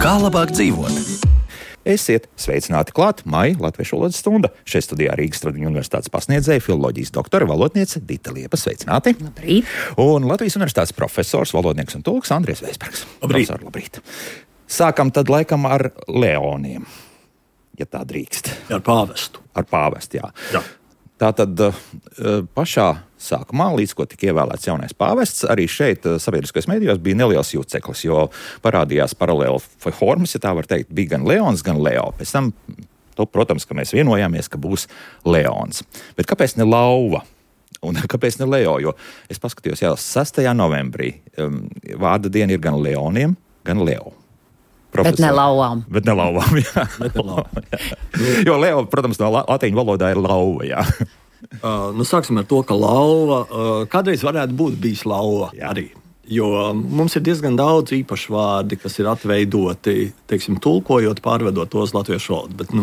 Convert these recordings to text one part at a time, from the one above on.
Kā labāk dzīvot? Esiet sveicināti klāt Maija Latviešu valodas stunda. Šeit studijā Rīgas Tradiņu universitātes pasniedzēja filoloģijas doktora valodniece Dita Liepa. Sveicināti! Labrīt! Un Latvijas universitātes profesors, valodnieks un tulks Andries Veisbergs. Labrīt! Profesor, labrīt! Sākam tad laikam ar leoniem, ja tā drīkst. Ar pāvestu. Ar pāvestu, jā. Jā. Tātad pašā sākumā, līdz ko tika ievēlēts jaunais pāvests, arī šeit sabiedriskajos medijos bija neliels jūceklis, jo parādījās paralēli formas, ja tā var teikt, bija gan Leons, gan Leo. Pēc tam, protams, ka mēs vienojāmies, ka būs Leons. Bet kāpēc ne Lauva? Un kāpēc ne Leo? Jo es paskatījos jau 6. novembrī. Vārda diena ir gan Leoniem, gan Leo. Profesor. Bet ne lauvām. Bet ne lauvām, jā. Jo Leo, protams, no latīņu valodā ir lauva, jā. Sāksim ar to, ka lauva kādreiz varētu būt bijis lauva arī. Jo mums ir diezgan daudz īpašu vārdi, kas ir atveidoti, teiksim, tulkojot, pārvedot tos latviešu valodu. Bet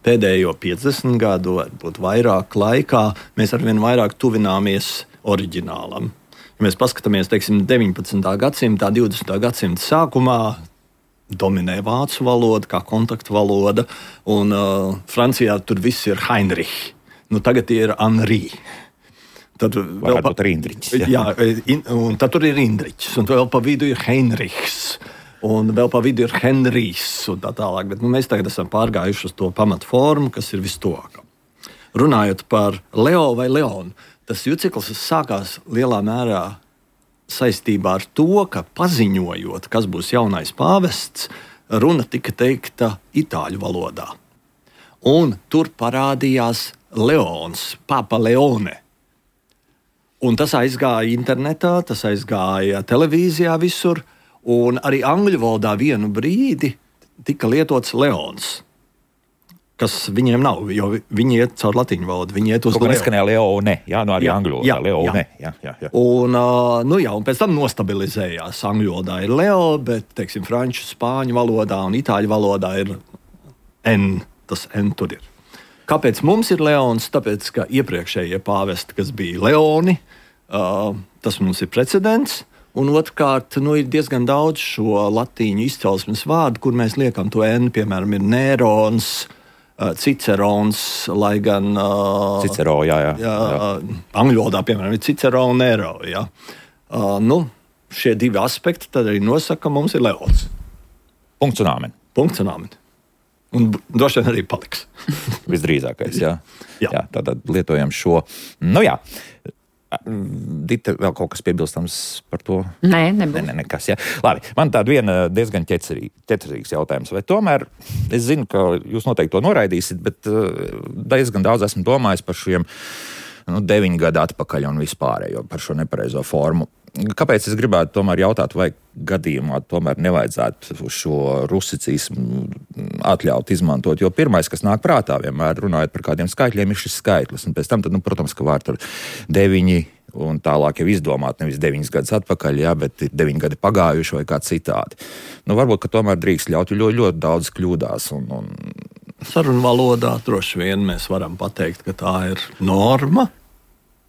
pēdējo 50 gadu, varbūt vairāk laikā, mēs arvien vairāk tuvināmies oriģinālam. Ja mēs paskatāmies, teiksim, 19. gadsimtā, 20. gadsimta sākumā, dominē vācu valoda kā kontaktu valoda, un Francijā tur viss ir Heinrich. Tagad ir Henri. Tad vēl būt arī Indriķis. Jā, un tad tur ir Indriķis, un vēl pa vidu ir Heinrichs, un vēl pa vidu ir Henrijs, un tā tālāk. Bet mēs tagad esam pārgājuši uz to pamatformu, kas ir vistuvākā. Runājot par Leo vai Leonu, tas jūceklis sākās lielā mērā saistībā ar to, ka paziņojot, kas būs jaunais pāvests, runa tika teikta itāļu valodā. Un tur parādījās Leons, Papa Leone. Un tas aizgāja internetā, tas aizgāja televīzijā visur, un arī angļu valodā vienu brīdi tika lietots Leons, kas viņiem nav, jo viņi iet caur latīņu valodu, viņi iet uz Leo. Neskanēja Leone, arī angļu valodā, Leone. Jā. Un pēc tam nostabilizējās. Angļu valodā ir Leo, bet, teiksim, franču, spāņu valodā un itāļu valodā ir N, tas N tur ir. Kāpēc mums ir Leons? Tāpēc, ka iepriekšējie pāvesti, kas bija Leoni, tas mums ir precedents, un otrkārt, ir diezgan daudz šo latīņu izcelsmes vārdu, kur mēs liekam to N, piemēram, ir Nērons, Cicerons, lai gan Cicero, jā. Angļu valodā, piemēram, ir Cicero un Nero. Jā. Šie divi aspekti tad arī nosaka, ka mums ir Leons. Punkts un āmen. Un droši vien arī paliks. Visdrīzākais, jā. Tātad lietojam šo. Dita, vēl kaut kas piebilstams par to? Nē, nebūs. Nekas, jā. Labi, man tāda viena diezgan ķecerīgs jautājums. Vai tomēr, es zinu, ka jūs noteikti to noraidīsiet, bet diezgan daudz esmu domājis par šiem 9 gadu atpakaļ un vispārējo par šo nepareizo formu. Kāpēc es gribētu tomēr jautāt, vai gadījumā tomēr nevajadzētu šo rusicismu atļaut izmantot? Jo pirmais, kas nāk prātā, vienmēr runājot par kādiem skaitļiem, ir šis skaitlis. Un pēc tam, protams, ka var tur 9 un tālāk jau izdomāt nevis 9 gadus atpakaļ, bet ir 9 gadi pagājuši vai kā citādi. Varbūt, ka tomēr drīkst ļaut, jo ļoti daudz kļūdās. Sarunvalodā droši vien mēs varam pateikt, ka tā ir norma.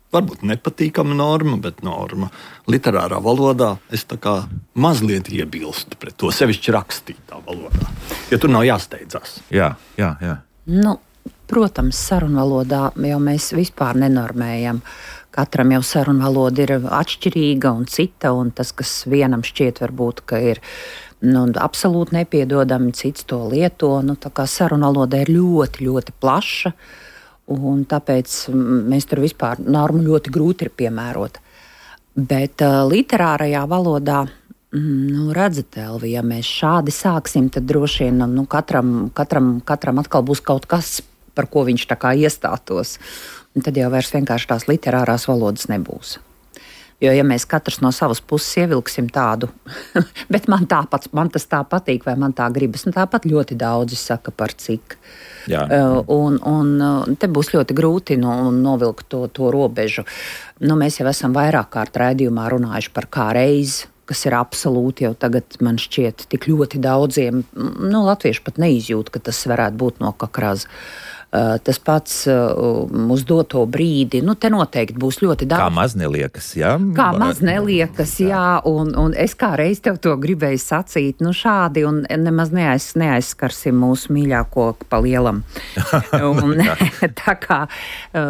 Varbūt nepatīkama norma, bet norma. Literārā valodā es tā kā mazliet iebilstu pret to, sevišķi rakstītā valodā, jo tur nav jāsteidzās. Jā. Protams, sarunvalodā jau mēs vispār nenormējam. Katram jau sarunvaloda ir atšķirīga un cita, un tas, kas vienam šķiet varbūt, ka ir absolūti nepiedodami, cits to lieto. Tā kā sarunvaloda ir ļoti, ļoti plaša. Un tāpēc mēs tur vispār normu ļoti grūti ir piemērot. Bet literārajā valodā, redzat, Elvi, ja mēs šādi sāksim, tad droši vien katram atkal būs kaut kas, par ko viņš tā kā iestātos. Un tad jau vairs vienkārši tās literārās valodas nebūs. Jo, ja mēs katrs no savas puses ievilksim tādu, bet man tas tā patīk, vai man tā gribas, tāpat ļoti daudzi saka par cik. Un te būs ļoti grūti novilkt to robežu. Mēs jau esam vairāk kārt raidījumā runājuši par kā reizi, kas ir absolūti jau tagad, man šķiet, tik ļoti daudziem, latvieši pat neizjūt, ka tas varētu būt no kakraza. tas pats uz doto brīdi. Nu, te noteikti būs ļoti daudz. Kā maz neliekas, jā? Kā maz neliekas, jā. Un es kā reiz tev to gribēju sacīt, nu šādi un nemaz neaizskarsim mūsu mīļāko pa lielam. Un, tā kā,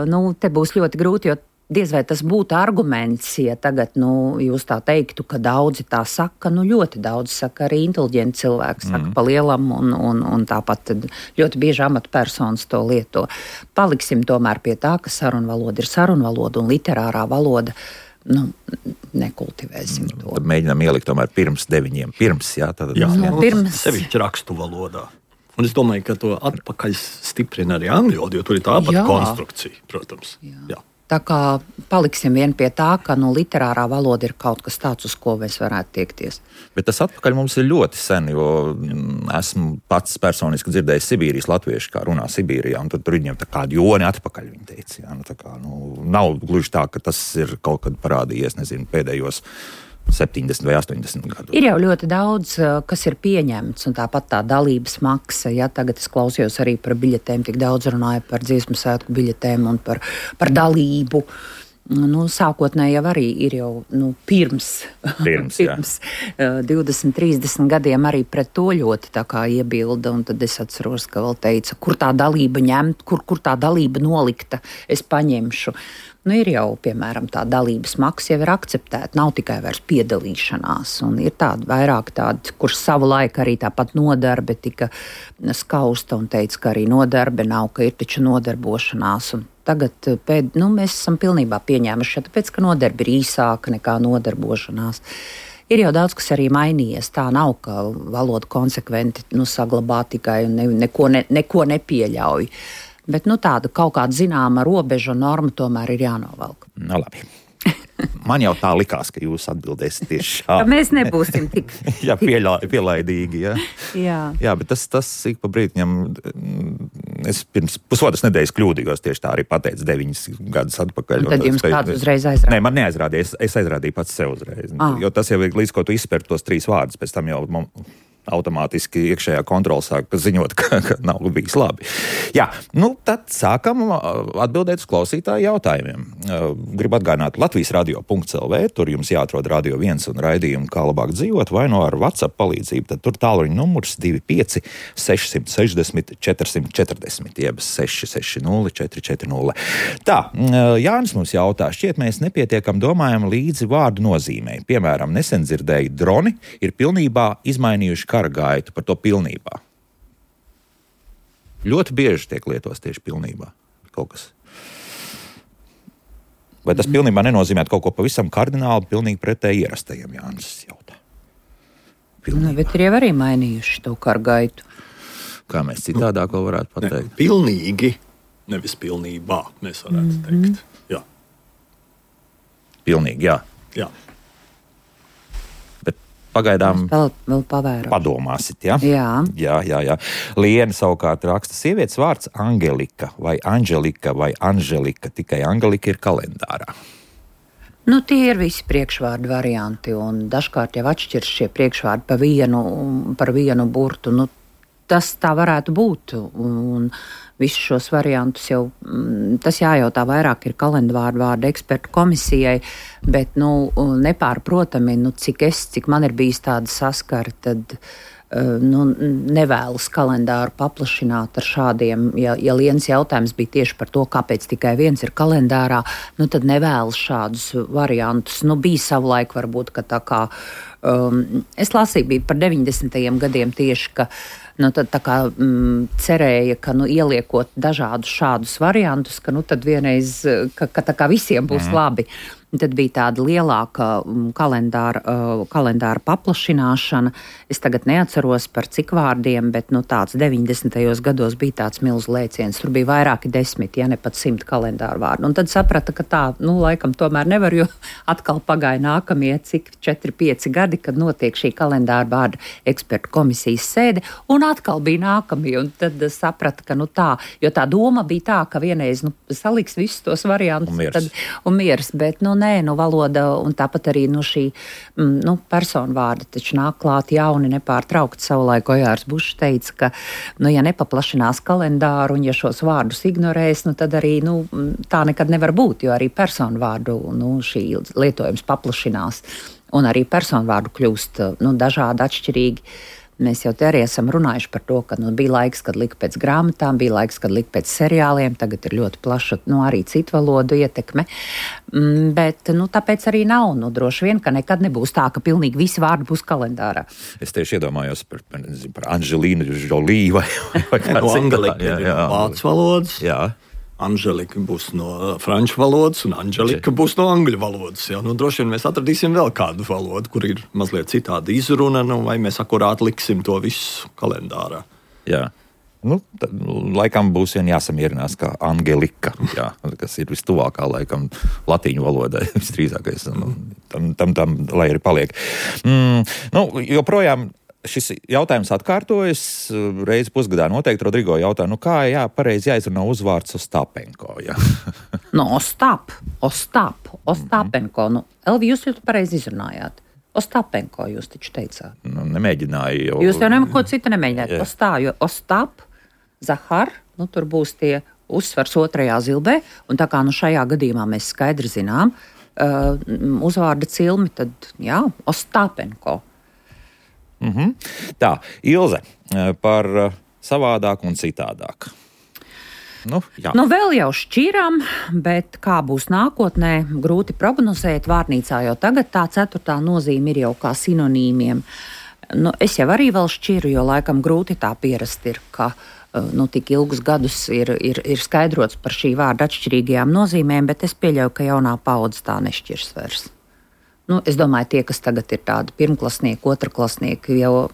nu, te būs ļoti grūti, jo diez vai tas būtu arguments, ja tagad, nu, jūs tā teiktu, ka daudzi tā saka, nu, ļoti daudz saka, arī inteliģenti cilvēki saka pa lielam, un tāpat ļoti bieži amatpersonas to lieto. Paliksim tomēr pie tā, ka sarunvaloda ir sarunvaloda un literārā valoda, nu, nekultivēsim to. Tad mēģinām ielikt tomēr pirms 9, jā? Pirms. Sevišķi rakstu valodā. Un es domāju, ka to atpakaļ stiprina arī angļu valoda, jo tur ir tāpat konstrukcija, protams. Jā. Tā kā paliksim vien pie tā, ka literārā valoda ir kaut kas tāds, uz ko mēs varētu tiekties. Bet tas atpakaļ mums ir ļoti sen, jo esmu pats personiski dzirdējis Sibīrijas latviešu, kā runā Sibīrijā, un tad tur viņiem tā kādi joni atpakaļ, viņi teica. Jā, tā kā, nav gluži tā, ka tas ir kaut kad parādījies, nezinu, pēdējos 70 vai 80 gadu. Ir jau ļoti daudz, kas ir pieņemts, un tāpat tā dalības maksa. Ja, tagad es klausījos arī par biļetēm, tik daudz runāju par dziesmu svētku biļetēm un par dalību. Sākotnēji jau arī ir jau pirms 20-30 gadiem arī pret to ļoti tā kā iebilda, un tad es atceros, ka vēl teica, kur tā dalība ņemt, kur tā dalība nolikta, es paņemšu. Ir jau, piemēram, tā dalības maksa jau ir akceptēta, nav tikai vairs piedalīšanās, un ir tādi vairāk tādi, kurš savu laiku arī tāpat nodarbe tika skausta un teica, ka arī nodarbe nav, ka ir taču nodarbošanās, un tagad mēs esam pilnībā pieņēmuši, tāpēc, ka nodarbe ir īsāka nekā nodarbošanās. Ir jau daudz, kas arī mainījies. Tā nav, ka valoda konsekventi saglabā tikai un neko nepieļauj. Bet tāda kaut kāda zināma robeža un norma tomēr ir jānovelk. Labi. Man jau tā likās, ka jūs atbildēsiet tieši šādi. Mēs nebūsim tik pielaidīgi. Jā, bet tas ik pa brītiņam. Es pirms pusotras nedēļas kļūdījos, tieši tā arī pateicu 9 gadus atpakaļ. Un tad jums kāds uzreiz aizrādīja? Nē, man neaizrādīja. Es aizrādīju pats sev uzreiz. Jo tas jau ir līdz ko tu izspēr tos 3 vārdus, pēc tam jau automātiski iekšējā kontrola sāk ziņot, ka nav bijis labi. Jā, tad sākam atbildēt uz klausītāju jautājumiem. Gribu atgādināt Latvijas radio.lv, tur jums jāatrod Radio 1 un raidījumu, kā labāk dzīvot, vai ar WhatsApp palīdzību, tad tur tālruņa numurs 25 660 440, jeb 660 440. Tā, Jānis mums jautā, šķiet mēs nepietiekam domājam līdzi vārdu nozīmei. Piemēram, nesen dzirdēju, droni ir pilnībā izmainījuši kara gaitu, par to pilnībā. Ļoti bieži tiek lietos tieši pilnībā kaut kas. Vai tas pilnībā nenozīmē kaut ko pavisam kardināli, pilnīgi pretēji ierastajiem, Jānis jautā? Bet ir jau arī mainījuši to kara gaitu. Kā mēs citādāk vēl varētu pateikt? Pilnīgi, nevis pilnībā, mēs varētu teikt. Jā. Pilnīgi, jā. Jā. Pagaidām vēl padomāsit, ja? Jā. Liena savukārt raksta, sievietes vārds Angelika vai Anželika, tikai Angelika ir kalendārā. Tie ir visi priekšvārdu varianti, un dažkārt jau atšķirs šie priekšvārdi par vienu burtu. Tas tā varētu būt, un visus šos variantus jau, tas jājautā vairāk ir kalendvārdu ekspertu komisijai, bet, nepārprotami, cik man ir bijis tāda saskara, tad, nevēlas kalendāru paplašināt ar šādiem, ja Lienas jautājums bija tieši par to, kāpēc tikai viens ir kalendārā, tad nevēlas šādus variantus. Bija savulaik varbūt, ka tā kā, es lasīju, bija par 90. gadiem tieši, ka tad tā kā cerēja, ka ieliekot dažādus šādus variantus, ka tad vienreiz, ka tā kā visiem būs labi. Tad bija tāda lielāka kalendāra paplašināšana. Es tagad neatceros par cik vārdiem, bet tāds 90. gados bija tāds milzu lēciens. Tur bija vairāki 10, ja ne pat 100 kalendāru vārdu. Un tad saprata, ka tā, laikam tomēr nevar, jo atkal pagāja nākamie cik 4-5 gadi. gadi, kad notiek šī kalendāra vārdu ekspertu komisijas sēde, un atkal bija nākamie, un tad saprata, ka tā, jo tā doma bija tā, ka vienreiz saliks visus tos variantus un miers, bet valoda un tāpat arī šī personu vārda taču nāk klāt jauni nepārtraukti. Savulaik Ojārs Bušs teica, ka, ja nepaplašinās kalendāru un ja šos vārdus ignorēs, tad arī tā nekad nevar būt, jo arī personu vārdu šī lietojums paplašinās un arī personu vārdu kļūst dažādi, atšķirīgi. Mēs jau te arī esam runājuši par to, ka bija laiks, kad lika pēc grāmatām, bija laiks, kad lika pēc seriāliem, tagad ir ļoti plaša arī citu valodu ietekme, bet tāpēc arī nav, droši vien, ka nekad nebūs tā, ka pilnīgi visi vārdi būs kalendārā. Es tieši iedomājos par Anželīnu Žolī vai kāds vācu valodas. Jā. Anželika būs no franču valodas, un Anželika būs no angļu valodas. Ja? Droši vien mēs atradīsim vēl kādu valodu, kur ir mazliet citāda izruna, vai mēs akurāti liksim to visu kalendārā. Jā. Laikam būs vien jāsamierinās kā Angelika, kas ir vistuvākā laikam latīņu valodai visdrīzākais. Tam lai arī paliek. Joprojām šis jautājums atkārtojas. Reizi pusgadā noteikti Rodrigo jautā, kā pareizi jāizrunā uzvārds Ostapenko? Ostapenko. Elvi, jūs jau pareizi izrunājāt. Ostapenko jūs taču teicāt. Nemēģināju. Jūs jau neko citu nemēģināt. Ostap, Zahar, tur būs tie uzsvars otrajā zilbē, un tā kā šajā gadījumā mēs skaidri zinām uzvārda cilmi, tad Ostapenko. Tā, Ilze, par savādāk un citādāk. Vēl jau šķiram, bet kā būs nākotnē, grūti prognozēt. Vārnīcā jau tagad tā 4. nozīme ir jau kā sinonīmiem. Es jau arī vēl šķiru, jo laikam grūti tā pierast ir, ka tik ilgus gadus ir skaidrots par šī vārda atšķirīgajām nozīmēm, bet es pieļauju, ka jaunā paudze tā nešķirs vairs. Es domāju, tie, kas tagad ir tādi pirmklasnieki, otrklasnieki, jau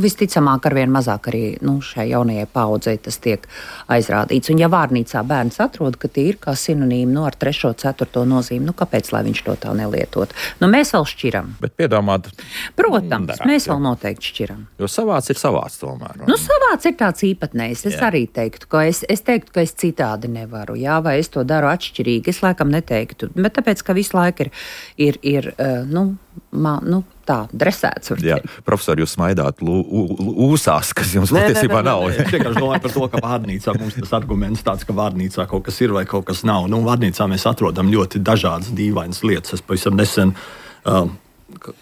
visticamāk arvien mazāk arī šai jaunajai paudzei tas tiek aizrādīts. Un ja vārnīcā bērns atrod, ka tie ir kā sinonīmi ar 3., 4. nozīmi, kāpēc, lai viņš to tā nelietot? Mēs vēl šķiram. Bet piedomāt. Protams, mēs vēl noteikti šķiram. Jo savāds ir savāds tomēr. Savāds ir tāds īpatnējs. Es arī teiktu, ka es citādi nevaru, vai es to daru atšķirīgi. Es laikam neteiktu, bet tāpēc, ka visu laiku ir tā, dresēts. Jā, profesori, jūs smaidāt ūsās, kas jums patiesībā nav. Es vienkārši domāju par to, ka vārnīcā mums tas arguments tāds, ka vārnīcā kaut kas ir vai kaut kas nav. Vārnīcā mēs atrodam ļoti dažādas dīvainas lietas. Es pavisam nesen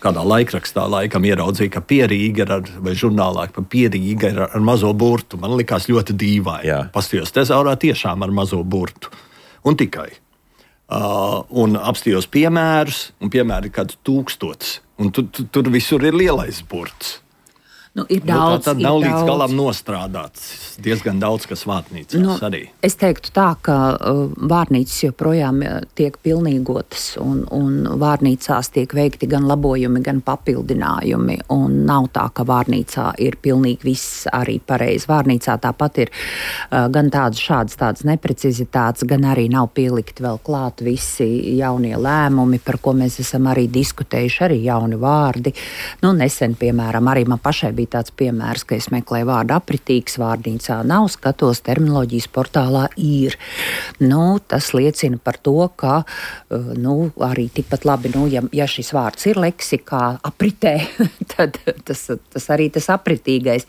kādā laikrakstā laikam ieraudzīju, ka Pierīga vai žurnālā pa Pierīga ir ar mazo burtu. Man likās ļoti dīvaini. Pastījos tezaurā tiešām ar mazo burtu. Un tikai. Un apstījos piemērus, un piemēri ir kāds 1000, un tur visur ir lielais burts. Ir daudz. Tā nav līdz galam nostrādāts. Diezgan daudz, kas vārnīcās arī. Es teiktu tā, ka vārnīcas joprojām tiek pilnīgotas, un vārnīcās tiek veikti gan labojumi, gan papildinājumi. Un nav tā, ka vārnīcā ir pilnīgi viss arī pareizi. Vārnīcā tāpat ir gan tādas neprecizitātes, gan arī nav pielikti vēl klāt visi jaunie lēmumi, par ko mēs esam arī diskutējuši, arī jauni vārdi. Nesen, piemēram, arī man pašai bija tāds piemērs, ka es meklēju vārdu apritīgs, vārnīcā nav, skatos terminoloģijas portālā ir. Tas liecina par to, ka arī tikpat labi, ja šis vārds ir leksikā apritē, tad tas arī tas apritīgais.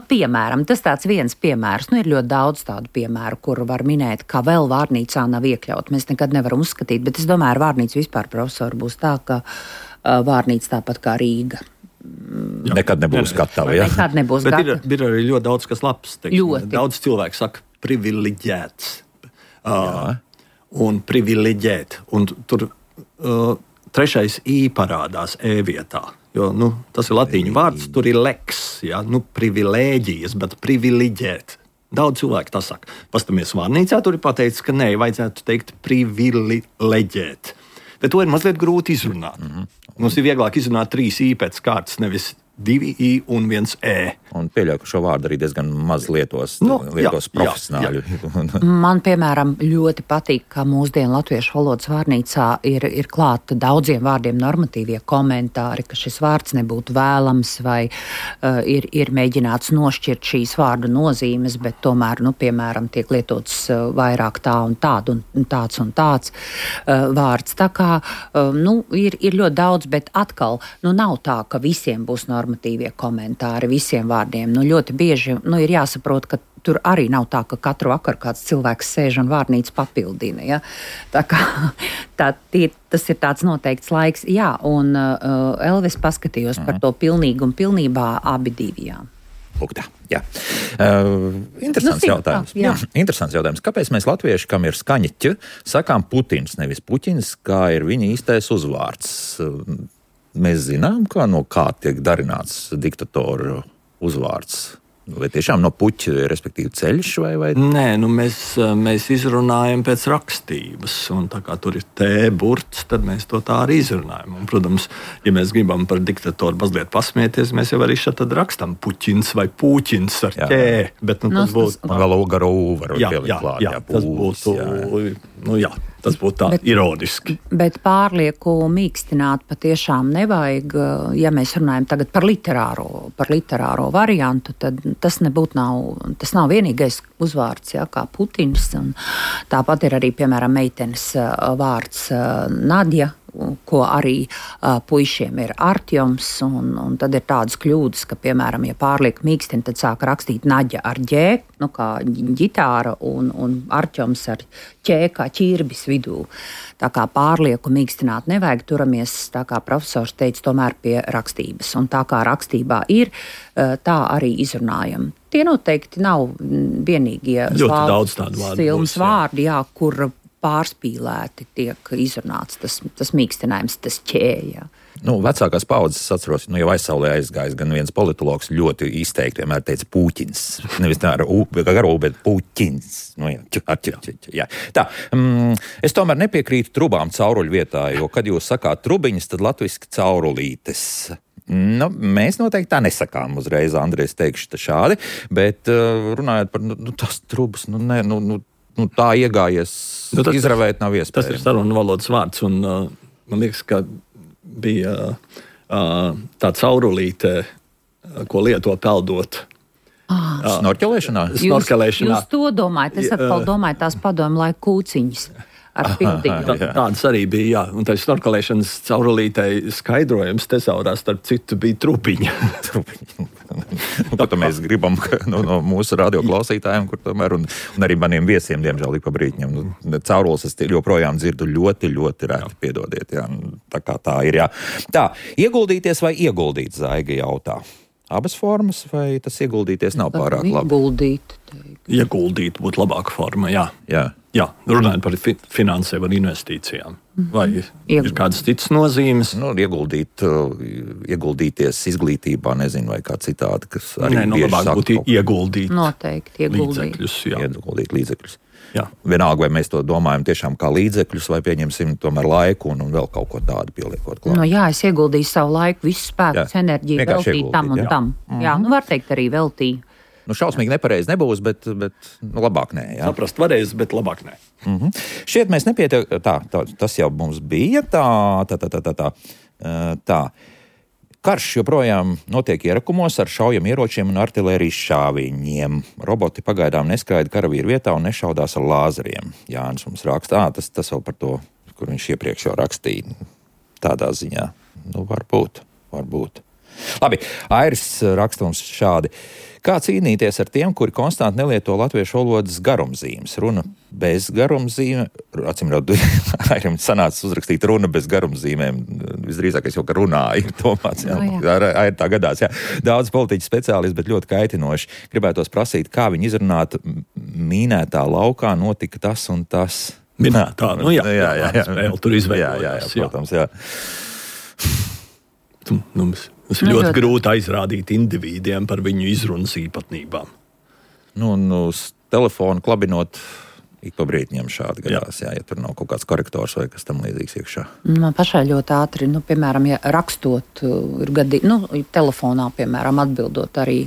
Piemēram, tas tāds viens piemērs. Ir ļoti daudz tādu piemēru, kuru var minēt, ka vēl vārnīcā nav iekļaut. Mēs nekad nevaram uzskatīt, bet es domāju, ar vārnīcu vispār, profesori, būs tā, ka vārnīca tāpat kā Rīga. Nekad nebūs gatava. Ja? Nekad nebūs gatava. Ir arī ļoti daudz, kas labs. Daudz cilvēku saka privileģēts. Un privileģēt. Un tur 3. I parādās E vietā. Jo tas ir latīņu vārds, tur ir leks. Ja? Privilēģijas, bet privileģēt. Daudz cilvēku tā saka. Pastamies vārnīcā, tur ir pateicis, ka nē, vajadzētu teikt privileģēt. Bet to ir mazliet grūti izrunāt. Mums ir vieglāk izrunāt 3 I pēc kārtas, nevis 2 I un 1 E. Un pieļauju, ka šo vārdu arī diezgan maz lietos profesionāļi. Man, piemēram, ļoti patīk, ka mūsdienu latviešu valodas vārnīcā ir klāta daudziem vārdiem normatīvie komentāri, ka šis vārds nebūtu vēlams vai ir mēģināts nošķirt šīs vārdu nozīmes, bet tomēr, piemēram, tiek lietots vairāk tā un tādu un tāds vārds. Tā kā, ir ļoti daudz, bet atkal, nav tā, ka visiem būs normatīvie komentāri visiem vārdiem. Ļoti bieži ir jāsaprot, ka tur arī nav tā, ka katru vakaru kāds cilvēks sēž un vārnīcu papildina. Ja? Tā kā tas ir tāds noteikts laiks. Jā, un Elvis paskatījos par to pilnīgi un pilnībā abi divi. Jā. Lūk, tā. Jā. Interesants jautājums. Jā. Interesants jautājums. Kāpēc mēs latvieši, kam ir skaņa ķ, sakām Putins, nevis Puķins, kā ir viņa īstais uzvārds? Mēs zinām, kā tiek darināts diktatoru uzvārds. Vai tiešām no puķa, respektīvi ceļš vai? Nē, mēs izrunājam pēc rakstības, un tā kā tur ir T-burts, tad mēs to tā arī izrunājam. Un, protams, ja mēs gribam par diktatoru mazliet pasmieties, mēs jau arī šeit tad rakstam Puķins vai Pūķins ar ķē, bet tas būtu... Man vēl garo var pielikt klāt. Jā, tas būtu... Tas būtu tā ironiski. Bet pārlieku mīkstināt patiešām nevajag. Ja mēs runājam tagad par literāro variantu, tad tas nav vienīgais uzvārds, kā Putins. Un tāpat ir arī, piemēram, meitenes vārds Nadja, ko arī puišiem ir Artjoms, un tad ir tādas kļūdas, ka, piemēram, ja pārliek mīkstina, tad sāk rakstīt Naģa ar ģē, kā ģitāra, un Artjoms ar ķē, kā ķirbis vidū. Tā kā pārlieku mīkstināt nevajag, turamies, tā kā profesors teica, tomēr pie rakstības. Un tā kā rakstībā ir, tā arī izrunājam. Tie noteikti nav vienīgie filmas vārdi, kur pārspīlēti tiek izrunāts tas mīkstinājums, tas ķēja. Vecākās paudzes atceros, jau aizsaulē aizgājis gan viens politologs ļoti izteikti vienmēr teica Pūķins. Nevis tā ar garo, bet Pūķins. Jā. Tā, es tomēr nepiekrītu trubām cauruļu vietā, jo, kad jūs sakāt trubiņas, tad latviski caurulītes. Mēs noteikti tā nesakām uzreiz, Andrejs, teikšu šādi, bet runājot par tas trubas, tā iegājies, izravēt nav iespējams. Tas ir sarunu valodas vārds, un man liekas, ka bija tā caurulīte, ko lieto peldot. Snorkelēšanā? Jūs to domājat, es atkal domāju tās padomu laiku kūciņas. Tādas arī bija, un tā snorkelēšanas caurulītei skaidrojums tesaurā starp citu bija trupiņa. Ko mēs gribam no mūsu radioklausītājiem, kur tomēr, un arī maniem viesiem, diemžēl, ik pa brītņiem. Caurules es joprojām dzirdu ļoti, ļoti reti, piedodiet. Jā. Tā kā tā ir, jā. Tā, ieguldīties vai ieguldīt, Zaiga jautā? Abas formas, vai tas ieguldīties nav pārāk labi? Ieguldīt būtu labāka forma, jā. Jā, runājot par finansēm un investīcijām. Vai ir kādas citas nozīmes? Ieguldīties izglītībā, nezinu, vai kā citādi, kas arī bieži labāk būtu ieguldīt. Noteikti, ieguldīt līdzekļus. Jā. Vienalga, vai mēs to domājam tiešām kā līdzekļus, vai pieņemsim tomēr laiku un vēl kaut ko tādu pieliekot klāt. Es ieguldīju savu laiku, visu spēku, enerģiju, veltīju tam un tam. Jā, var teikt arī veltīju. Šausmīgi nepareizi nebūs, bet labāk nē. Jā. Saprast varēs, bet labāk nē. Šķiet, mēs nepietiek. Tas jau mums bija. Tā. Karš joprojām notiek ierakumos ar šaujamieročiem un artilērijas šāviņiem. Roboti pagaidām neskaida karavīru vietā un nešaudās ar lāzeriem. Jānis mums raksta, tas vēl par to, kur viņš iepriekš jau rakstīja. Tādā ziņā. Varbūt. Labi, Airis raksta mums šādi. Kā cīnīties ar tiem, kuri konstanti nelieto latviešu valodas garumzīmes? Runa bez garumzīmēm, Airim sanāca uzrakstīt runa bez garumzīmēm. Visdrīzākais jau, ka runāja, Tomāts, Air tā gadās, jā. Daudz politiķu speciālisti, bet ļoti kaitinoši. Gribētos prasīt, kā viņi izrunāt mīnētā laukā notika tas un tas. Minētā, jā. Tur izveidojās. Jā, protams, jā. Mums ir ļoti grūti aizrādīt indivīdiem par viņu izrunas īpatnībām. Uz telefonu klabinot Ik pa brītiņam šādi gadās, ja tur nav kaut kāds korektors vai kas tam līdzīgs iekšā. Man pašai ļoti ātri, piemēram, ja rakstot, ir telefonā, piemēram, atbildot arī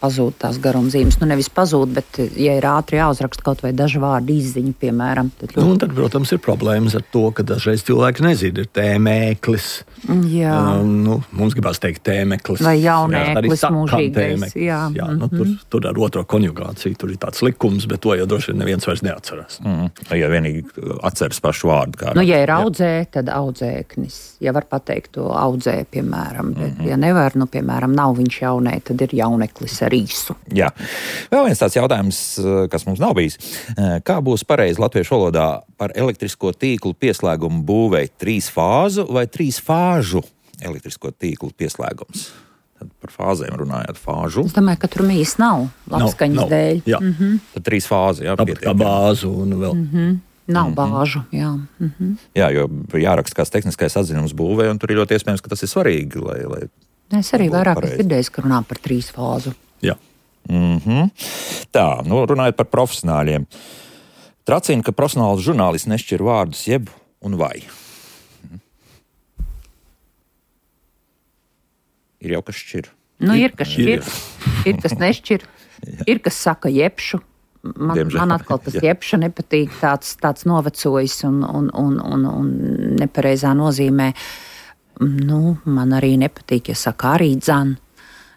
pazūd tās garumzīmes. Nevis pazūd, bet, ja ir ātri jāuzraksta kaut vai daži vārdi izziņa, piemēram. Tad, protams, ir problēmas ar to, ka dažreiz cilvēki nezina, ir tēmēklis. Jā. Mums gribās teikt tēmēklis. Vai jaunēklis mūžīgais. Jā. Tur ar otro konjugāciju, tur ir tāds likums, bet to jau droši vien neviens vairs neatcerās. Ja vienīgi atceras pašu vārdu. Ja ir audzē, tad audzēknis. Ja var pateikt to audzē, piemēram. Bet, ja nevar, piemēram, nav viņš jaunē, tad ir jauneklis ar īsu. Jā. Vēl viens tāds jautājums, kas mums nav bijis. Kā būs pareizi latviešu valodā par elektrisko tīklu pieslēgumu būvēt 3 fāzu vai 3 fāžu elektrisko tīklu pieslēgums? Tad par fāzēm runājot, fāžu. Es domāju, ka tur mīs nav labskaņas dēļ. Jā. Tad 3 fāzi, jā. Kā bāzu un vēl. Nav bāžu, jā. Jā, jo jāraksta kāds tehniskais atzinums būvē, un tur ir ļoti iespējams, ka tas ir svarīgi, lai es arī vairāk dzirdēju, ka runā par 3 fāzu. Jā. Tā, runājot par profesionāļiem. Tracina, ka profesionāls žurnālists nešķir vārdus jeb un vai. Ir jau kas šķir. Ir kas šķir, ir kas nešķir, ir kas saka jebšu. Man atkal tas jebša nepatīk, tāds novecojis un nepareizā nozīmē. Man arī nepatīk, ja saka arī dzan.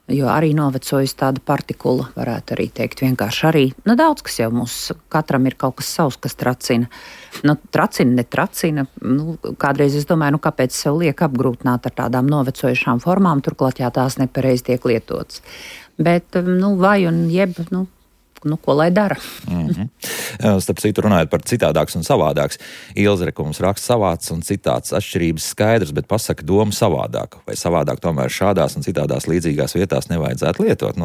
Jo arī novecojis tāda partikula, varētu arī teikt vienkārši arī. Daudz, kas jau mums katram ir kaut kas savs, kas tracina. Tracina, netracina. Kādreiz es domāju, kāpēc sev liek apgrūtināt ar tādām novecojušām formām, turklāt jā, tās nepareizi tiek lietotas. Bet, vai un jeb, ko lai dara? Starp citu runājot par citādāks un savādāks. Ilze Rekums raksta savāds un citāds atšķirības skaidrs, bet pasaka domu savādāk. Vai savādāk tomēr šādās un citādās līdzīgās vietās nevajadzētu lietot?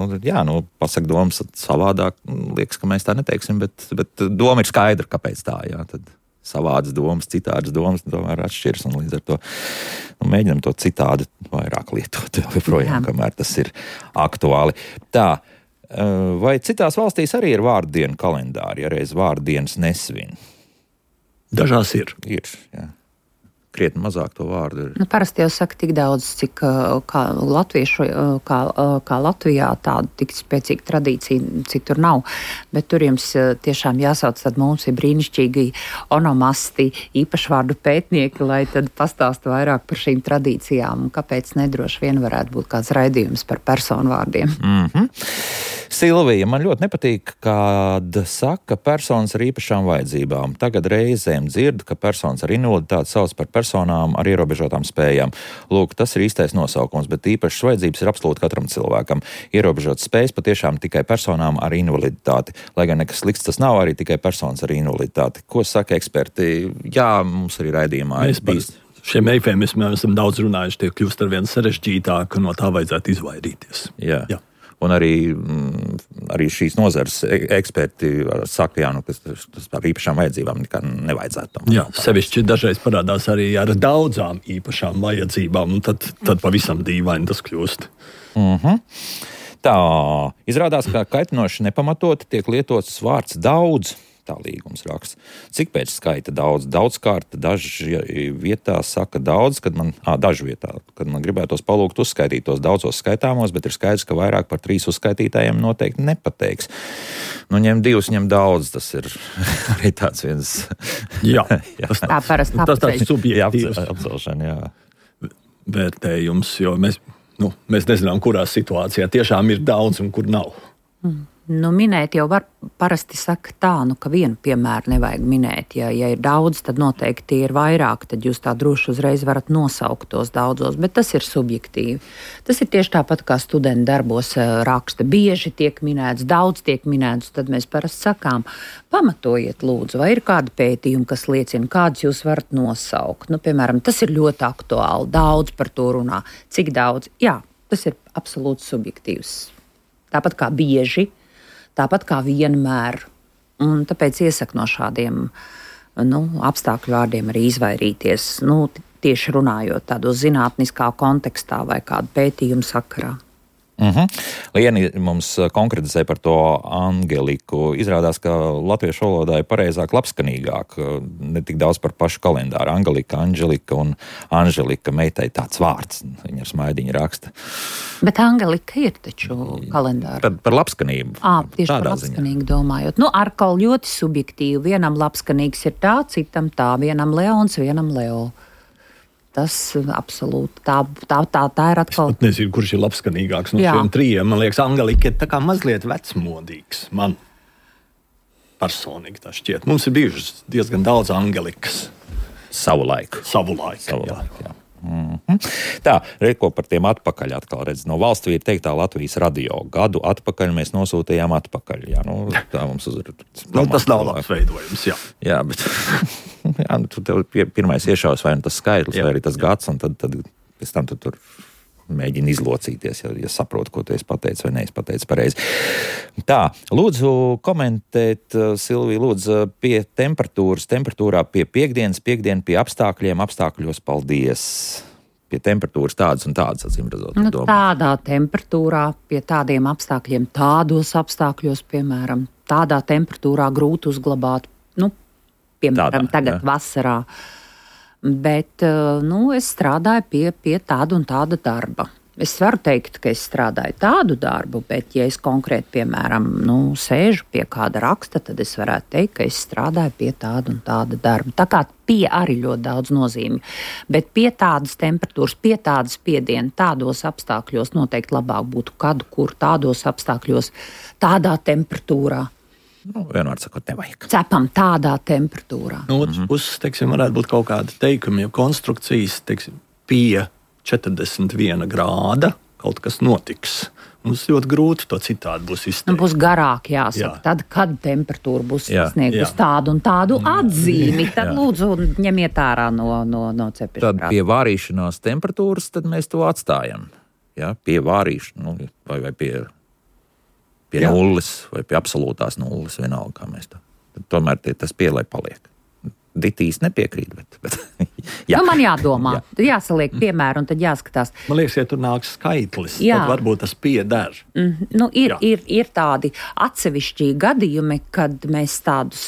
Pasaka domas savādāk. Liekas, ka mēs tā neteiksim, bet doma ir skaidra, kāpēc tā, jā. Tad savādas domas, citādas domas tomēr atšķiras, un līdz ar to mēģinam to citādi vairāk lietot joprojām, kamēr tas ir aktuāli. Tā. Vai citās valstīs arī ir vārdienu kalendāri, ja reiz vārdienas nesvin? Dažās ir. Ir, jā. Krietni mazāk to vārdu ir. Parasti jau saka tik daudz, cik kā latviešu, kā Latvijā tāda tik spēcīga tradīcija, citur nav. Bet tur jums tiešām jāsauc, tad mums ir brīnišķīgi onomasti, īpašvārdu pētnieki, lai tad pastāstu vairāk par šīm tradīcijām. Kāpēc nedroši vien varētu būt kāds raidījums par personu vārdiem? Silvija, man ļoti nepatīk, kad saka personas ar īpašām vajadzībām. Tagad reizēm dzirdu, ka personas ar invaliditāti sauc par personām ar ierobežotām spējām. Lūk, tas ir īstais nosaukums, bet īpašas vajadzības ir absolūti katram cilvēkam. Ierobežotas spējas patiešām tikai personām ar invaliditāti. Lai gan nekas slikts tas nav, arī tikai personas ar invaliditāti. Ko saka eksperti? Jā, mums arī raidījumā ir bijis. Šiem eifemismiem esam daudz runājuši, tie kļūst ar vien sarežģītāk, un no tā vajadzētu izvairīties. Jā. Un arī šīs nozares eksperti saka, ka tas par īpašām vajadzībām nekā nevajadzētu. Jā, sevišķi dažreiz parādās arī ar daudzām īpašām vajadzībām, un tad pavisam dīvaini tas kļūst. Tā, izrādās, ka kaitinoši nepamatot tiek lietots vārds daudz. Tā līgums raksta. Cik pēc skaita daudz? Daudzkārt, daži vietā saka daudz, kad man gribētos palūgt uzskaitīt tos daudzos skaitāmos, bet ir skaidrs, ka vairāk par 3 uzskaitītājiem noteikti nepateiks. Ņem 2, ņem daudz, tas ir arī tāds viens... Jā, tā parasti tas tāds subjektīvs apcelšana, jā. Vērtējums, jo mēs nezinām, kurā situācijā tiešām ir daudz un kur nav. Minēt jau var parasti saka tā, ka vienu piemēru nevajag minēt. Ja ir daudz, tad noteikti ir vairāk, tad jūs tā droši uzreiz varat nosaukt tos daudzos, bet tas ir subjektīvi. Tas ir tieši tāpat kā studenti darbos raksta. Bieži tiek minēts, daudz tiek minēts, tad mēs parasti sakām, pamatojiet lūdzu, vai ir kādi pētījumi, kas liecina, kādus jūs varat nosaukt. Piemēram, tas ir ļoti aktuāli, daudz par to runā. Cik daudz? Jā, tas ir absolūti subjektīvs. Tāpat kā bieži, tāpat kā vienmēr. Un tāpēc iesaku no šādiem apstākļu vārdiem arī izvairīties. Tieši runājot tādos zinātniskā kontekstā vai kādu pētījumu sakarā. Lieni mums konkretizē par to Angeliku. Izrādās, ka latviešu valodā ir pareizāk labskanīgāk, ne tik daudz par pašu kalendāru. Angelika un Anželika meitai tāds vārds, viņa ar smaidiņu raksta. Bet Angelika ir taču kalendāra. Par labskanību. Tieši par labskanīgu domājot. Atkal ļoti subjektīvi. Vienam labskanīgs ir tā, citam tā. Vienam Leons, vienam Leo. Tas absolūti tā ir atkal. Es nezinu, kurš ir labskanīgāks no šiem trijiem. Man liekas, Angelika ir tā kā mazliet vecmodīgs. Man personīgi tā šķiet. Mums ir bijušas diezgan daudz Angelikas. Savu laiku. Jā. Tā, reko par tiem atpakaļ atkal redz. No valsts vīra teiktā Latvijas radio. Gadu atpakaļ mēs nosūtījām atpakaļ. Jā, tā mums tas nav labs veidojums, jā. Jā, bet tu tev pirmais iešaus vai tas skaitlis, vai arī tas gads, un tad pēc tam tu tur mēģini izlocīties, ja saproti, ko tu esi pateicis vai neesi pateicis pareizi. Tā, lūdzu komentēt, Silvija, lūdzu, pie temperatūrā pie piekdiena pie apstākļos, paldies. Pie temperatūras tādas un tādas, acīm redzot. Tādā temperatūrā, pie tādiem apstākļiem, tādos apstākļos, piemēram, tādā temperatūrā grūti uzglabāt, piemēram, tagad vasarā. Bet, es strādāju pie tāda un tāda darba. Es varu teikt, ka es strādāju tādu darbu, bet, ja es konkrēti, piemēram, sēžu pie kāda raksta, tad es varētu teikt, ka es strādāju pie tāda un tāda darba. Tā kā pie arī ļoti daudz nozīmju. Bet pie tādas temperatūras, pie tādas spiediena, tādos apstākļos noteikti labāk būtu kur tādos apstākļos, tādā temperatūrā. Vienmēr sakot, nevajag. Cepam tādā temperatūrā. Otrs puses, varētu būt kaut kāda teikuma, ja konstrukcijas, pie 41 grāda kaut kas notiks. Mums ļoti grūti to citādi būs izteikt. Būs garāk jāsaka. Tad, kad temperatūra būs sasniegusi tādu un tādu atzīmi, tad lūdzu ņemiet ārā no cepešana. Tad pie vārīšanās temperatūras, tad mēs to atstājam. Ja? Pie vārīšanas, vai pie nulles, vai pie absolūtās nulles, vienalga, kā mēs to. Tomēr tas pie, lai paliek. Ditīs nepiekrīt, bet man jādomā. Tad jāsaliek piemēru un tad jāskatās. Man liekas, ja tur nāk skaitlis, tad varbūt tas pieder. Ir tādi atsevišķi gadījumi, kad mēs tādus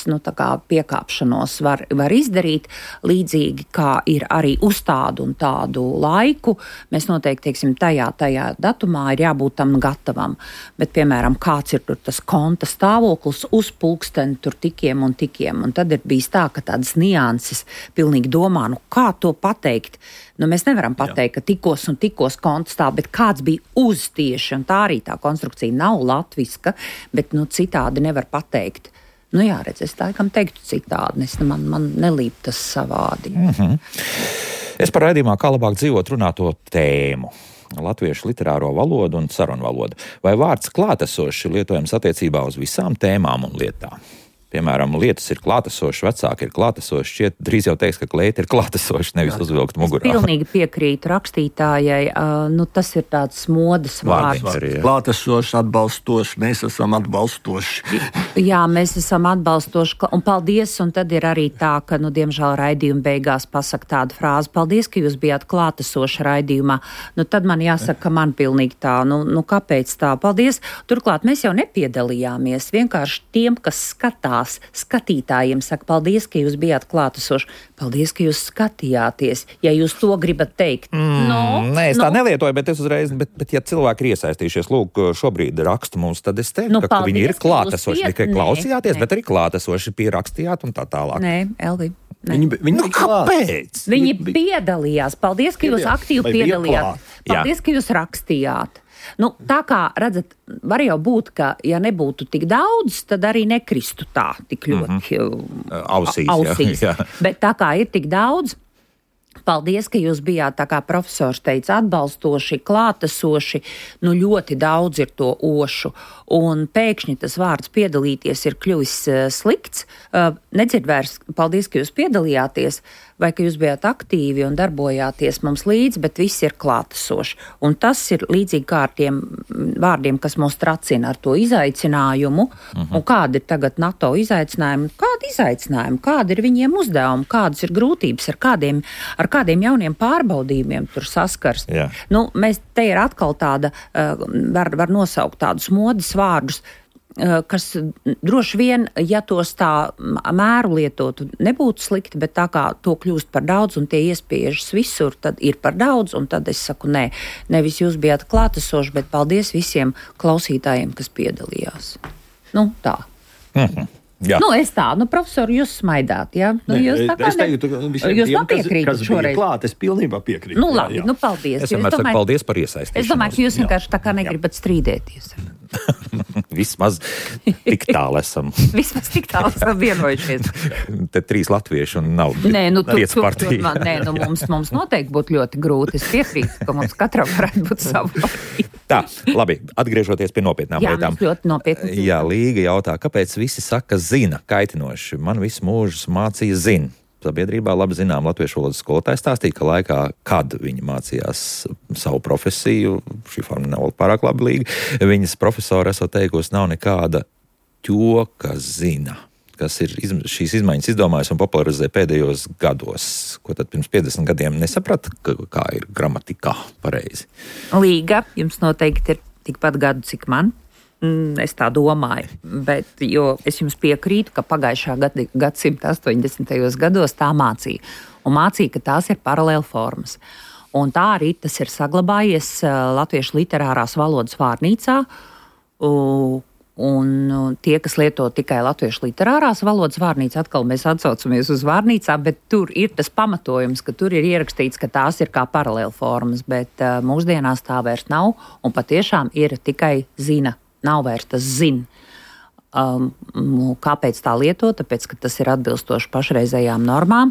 piekāpšanos var izdarīt, līdzīgi kā ir arī uz tādu un tādu laiku. Mēs noteikti, tajā datumā ir jābūt tam gatavam. Bet, piemēram, kāds ir tur tas konta stāvoklis uz pulksteni tur tikiem un tikiem. Un tad ir bijis tā, ka tādas nianses pilnīgi domā, kā to pateikt. Mēs nevaram pateikt, ka tikos un tikos konta stāv, bet kāds bija uz tieši, un tā arī tā konstrukcija nav latviska, bet citādi nevar pateikt. Es laikam teiktu citādi, man nelīp tas savādi. Es par raidījumā kā labāk dzīvot runāto tēmu. Latviešu literāro valodu un sarunu valodu. Vai vārds klātesoši lietojams attiecībā uz visām tēmām un lietām? Piemēram, lietas ir klātesošas, vecāki ir klātesoši, šķiet drīz jau teiks, ka kleita ir klātesoša, nevis uzvilkt mugurā. Es pilnīgi piekrītu rakstītājai, tas ir tāds modes vārds. Klātesoši, atbalstoši, mēs esam atbalstoši. Jā, mēs esam atbalstoši, un paldies, un tad ir arī tā, ka, diemžēl raidījuma beigās pasaka tādu frāzi, paldies, ka jūs bijāt klātesoši raidījumā. Tad man jāsaka, ka man pilnīgi tā, kāpēc tā, paldies. Turklāt mēs jau nepiedalījāmies, vienkārši tiem, kas skatās, skatītājiem saka, paldies, ka jūs bijāt klātesoši. Paldies, ka jūs skatījāties, ja jūs to gribat teikt. Nē, es tā nelietoju, bet es uzreiz, bet ja cilvēki ir iesaistījušies, lūk, šobrīd raksta mums, tad es teiktu, ka viņi ir klātesoši, tikai klausījāties, bet arī klātesoši pierakstījāt un tā tālāk. Nē, Elvi. Viņi kāpēc? Viņi piedalījās. Paldies, ka jūs aktīvi piedalījāt. Paldies, ka jūs rakstījāt. Tā kā, redzat, var jau būt, ka, ja nebūtu tik daudz, tad arī nekristu tā tik ļoti ausīs. Jā. Bet tā kā ir tik daudz, paldies, ka jūs bijāt, tā kā profesors teica, atbalstoši, klātesoši, ļoti daudz ir to ošu. Un pēkšņi tas vārds piedalīties ir kļuvis slikts. Nedzird vairs, paldies, ka jūs piedalījāties. vai ka jūs bijāt aktīvi un darbojāties mums līdzi, bet viss ir klātesoši. Un tas ir līdzīgi kā ar tiem vārdiem, kas mūs tracina ar to izaicinājumu. Un kādi ir tagad NATO izaicinājumi? Kādi izaicinājumi? Kādi ir viņiem uzdevumi? Kādas ir grūtības? Ar kādiem jauniem pārbaudījumiem tur saskars? Jā. Nu, te ir atkal tāda, var nosaukt tādus modes vārdus, kas droši vien, ja tos tā mēru lietotu, nebūtu slikti, bet tā kā to kļūst par daudz un tie iespiežas visur, tad ir par daudz, un tad es saku, nē, nevis jūs bijāt klātesoši, bet paldies visiem klausītājiem, kas piedalījās. Nu, tā. Jā. Nu, es tā, profesori, jūs smaidāt, jā? Nu, jūs tā kā es teiktu, ka visiem jūs tiem, piekrītat kas bija šoreiz. klāt, es pilnībā piekrītu. Nu, labi, jā. nu, paldies. Es vienmēr saku paldies par iesaistīšanos. Es domāju, ka jūs vienkārši tā kā negribat strīdēties. Vismaz tik tālu esam. Vismaz tik tālu esam vienojušies. Te 3 latvieši un nav Nē, nu, 5 partija. Nē, nu, mums noteikti būtu ļoti grūti. Es piekrītu, ka mums katram varētu būt savu partiju. Tā, labi, atgriežoties pie nopietnām lietām. Jā, ļoti nopietni. Jā, Līga jautā, kāpēc visi saka zina kaitinoši? Man visu mūžu mācīja zina. Sabiedrībā labi zinām latviešu valodas skolotāji stāstīja, ka laikā, kad viņi mācījās savu profesiju, šī forma nav pārāk labi Līga, viņas profesori esot teikusi, nav nekāda ķoka zina, kas ir šīs izmaiņas izdomājis un popularizē pēdējos gados. Ko tad pirms 50 gadiem nesaprata, kā ir gramatikā pareizi? Līga, jums noteikti ir tikpat gadu, cik man. Es tā domāju, bet jo es jums piekrītu, ka pagājušā gadsimta 80. gados tā mācīja. Un mācīja, ka tās ir paralēla formas. Un tā arī tas ir saglabājies Latviešu literārās valodas vārnīcā. Un tie, kas lieto tikai latviešu literārās valodas vārnīcu, atkal mēs atsaucamies uz vārnīcām, bet tur ir tas pamatojums, ka tur ir ierakstīts, ka tās ir kā paralēla formas, bet mūsdienās tā vairs nav, un patiešām ir tikai zina. Nav vairs tas zina. Kāpēc tā lieto? Tāpēc, ka tas ir atbilstoši pašreizējām normām.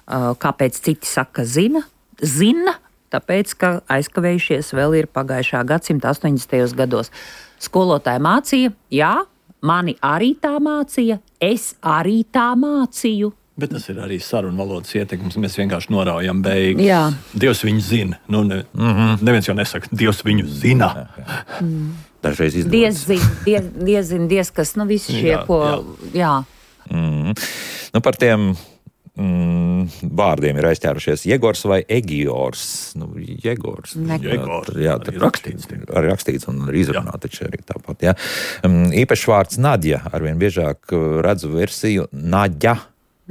Kāpēc citi saka zina? Zina, tāpēc, ka aizkavējušies vēl ir pagājušā gadsimta 80. gados. Skolotāji mācīja, jā, mani arī tā mācīja, es arī tā mācīju. Bet tas ir arī sarunu valodas ietekmes. Mēs vienkārši noraujam beigas. Jā. Dievs viņu zina. Nu, neviens jau nesaka, Dievs viņu zina. Dažreiz izdodas. Diez, kas, visi šie, ko, jā. Nu, par tiem vārdiem ir aizķērušies Jegors vai Egiors. Jegors. Jegors. Jā, Arī rakstīts. Arī rakstīts un arī izrunāt, taču arī tāpat, jā. Īpašs vārds Nadja. Arvien biežāk redzu versiju Naģa.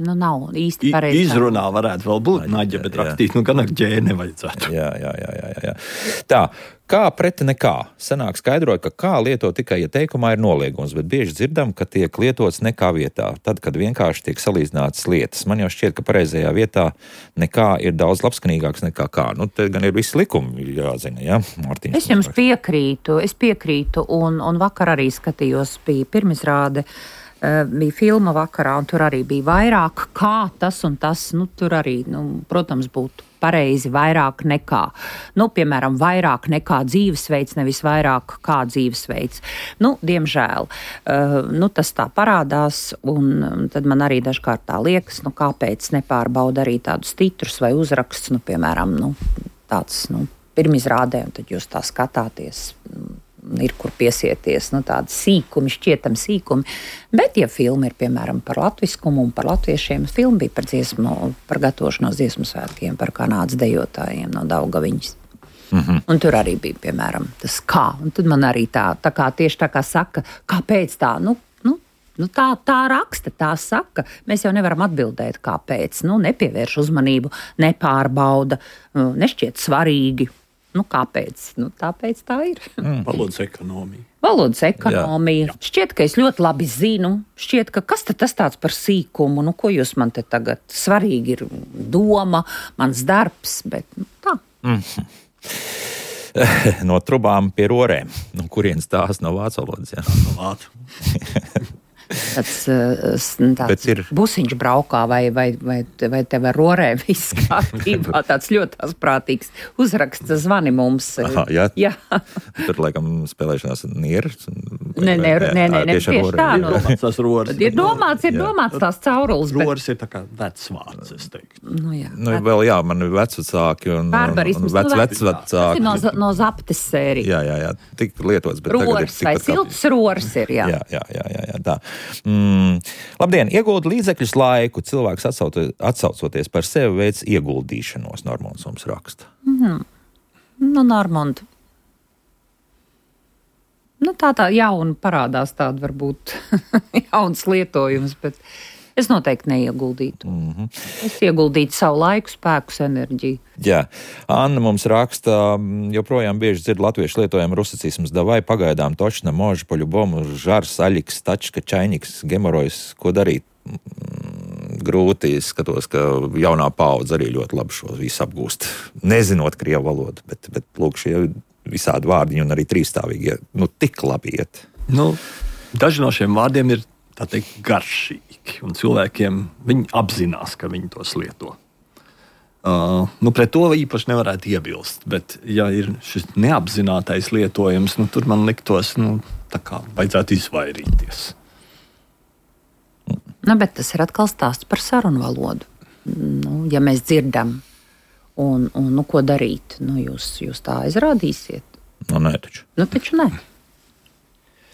Nav īsti pareizi. Izrunā varētu vēl būt Naģa, bet rakstīt, gan ar ģē nevajadzētu. Jā. Tā, kā pret nekā? Senāk skaidroja, ka kā lieto tikai, ja teikumā ir noliegums, bet bieži dzirdam, ka tiek lietots nekā vietā. Tad, kad vienkārši tiek salīdzinātas lietas. Man jau šķiet, ka pareizajā vietā nekā ir daudz labskanīgāks nekā kā. Te gan ir visi likumi jāzina, jā? Mārtiņš. Es jums piekrītu, un vakar arī skatījos, bija pirmizrāde, bija filma vakarā, un tur arī bija vairāk kā tas un tas. Tur arī, protams, būtu pareizi vairāk nekā. Piemēram, vairāk nekā dzīvesveids, nevis vairāk kā dzīvesveids. Diemžēl. Tas tā parādās, un tad man arī dažkārt tā liekas, kāpēc nepārbauda arī tādus titrus vai uzrakstus, piemēram, tāds, pirmizrādē, un tad jūs tā skatāties. Ir kur piesieties, tādi sīkumi, šķietami sīkumi. Bet, ja filma ir, piemēram, par latviskumu un par latviešiem, filma bija par gatavošanos dziesmu svētkiem, par kanādas dejotājiem no Daugaviņas. Un tur arī bija, piemēram, tas kā. Un tad man arī tā kā tieši tā kā saka, kāpēc tā, tā raksta, tā saka. Mēs jau nevaram atbildēt, kāpēc. Nepievērš uzmanību, nepārbauda, nešķiet svarīgi. Kāpēc? Tāpēc tā ir. Valodas ekonomija. Valodas ekonomija. Jā. Šķiet, ka es ļoti labi zinu. Šķiet, ka kas tad tas tāds par sīkumu? Ko jūs man te tagad? Svarīgi ir doma, mans darbs, bet tā. No trubām pie rorēm. Kurienes tās no vācu valodas? Jā. No vācu. tāds busiņš braukā vai tev ar rorē viss kārtībā. Tāds ļoti asprātīgs uzraksts zvani mums. Aha, jā. Tur, laikam, spēlēšanās nieras. Nē, tieši tā. Ir domāts tās caurules. Roras ir tā kā vecvārds, es teiktu. Vēl jā, man ir vecvecāki un vecvecāki. Tas ir no zaptes sērijas. Jā, tik lietots, bet tagad ir vai silts roras ir, jā. Jā, tā. Labdien, iegulda līdzekļus laiku, cilvēks atsaucoties par sevi veids ieguldīšanos, Normunds mums raksta. Normund. Tā jauna parādās tāda varbūt jauns lietojums, bet es noteikti neieguldītu. Es ieguldītu savu laiku, spēkus, enerģiju. Jā. Anna mums raksta, joprojām bieži dzird latviešu lietojumu rusicisms davai, pagaidām točna, moža, poļubomu, žars, aļiks, tačka, čainiks, gemorojs, ko darīt? Grūti skatos, ka jaunā paudze arī ļoti labi šo visu apgūst, nezinot krievu valodu, bet lūk, šie visādi vārdiņi un arī trīsstāvīgi, tik labi iet. Daži no šiem vārdiem ir, tā teikt, garšīgi, un cilvēkiem viņi apzinās, ka viņi tos lieto. Pret to īpaši nevarētu iebilst, bet ja ir šis neapzinātais lietojums, tur man liktos, tā kā vajadzētu izvairīties. Bet tas ir atkal stāsts par sarunu valodu. Ja mēs dzirdam, un ko darīt, jūs tā aizrādīsiet? Nē, taču. Taču nē.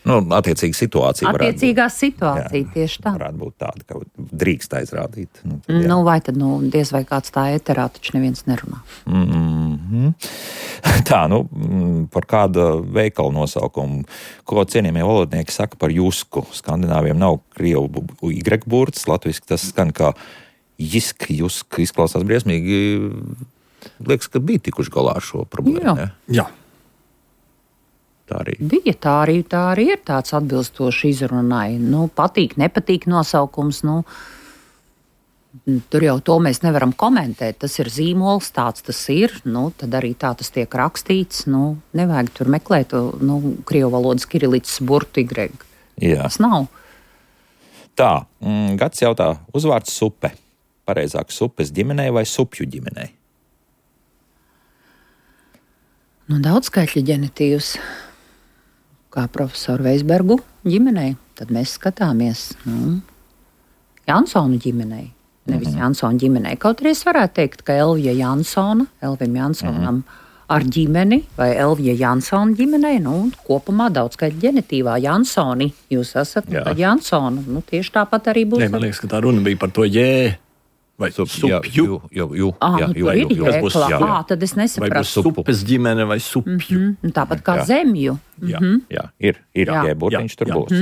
Attiecīga situācija. Attiecīgā situācija, tieši tā. Varētu būt tāda, ka drīkst aizrādīt. Vai tad, diez vai kāds tā eterā, taču neviens nerunā. Tā, par kāda veikala nosaukumu, ko cienījamie valodnieki saka par jusku. Skandināviem nav krievu y burts, latviski tas skan kā jusk, izklausās briesmīgi. Liekas, ka bija tikuši galā ar šo problēmu. Jā. Tā arī. Bija, tā arī ir tāds atbilstoši izrunai. Patīk, nepatīk nosaukums, tur jau to mēs nevaram komentēt. Tas ir zīmols, tāds tas ir, tad arī tā tas tiek rakstīts. Nevajag tur meklēt, krievu valodas kirilītas burtu Y. Jā. Tas nav. Tā, Gats jautā, uzvārds supe. Pareizāk supes ģimenei vai supju ģimenei? Daudzskaitļa ģenitīvs. Kā profesoru Veisbergu ģimenei, tad mēs skatāmies Jansonu ģimenei, nevis Jansonu ģimenei. Kaut arī es varētu teikt, ka Elvija Jansona, Elvim Jansonam ar ģimeni vai Elvija Jansona ģimenei, kopumā daudzskaitļa ģenitīvā Jansoni. Jūs esat Jansonu, tieši tāpat arī būs. Man liekas, ka tā runa bija par to jē. Vai supju? Tad es nesapratu. Vai supes ģimene vai supju? Tāpat kā zemju. Jā, ir ģēburtiņš tur būs.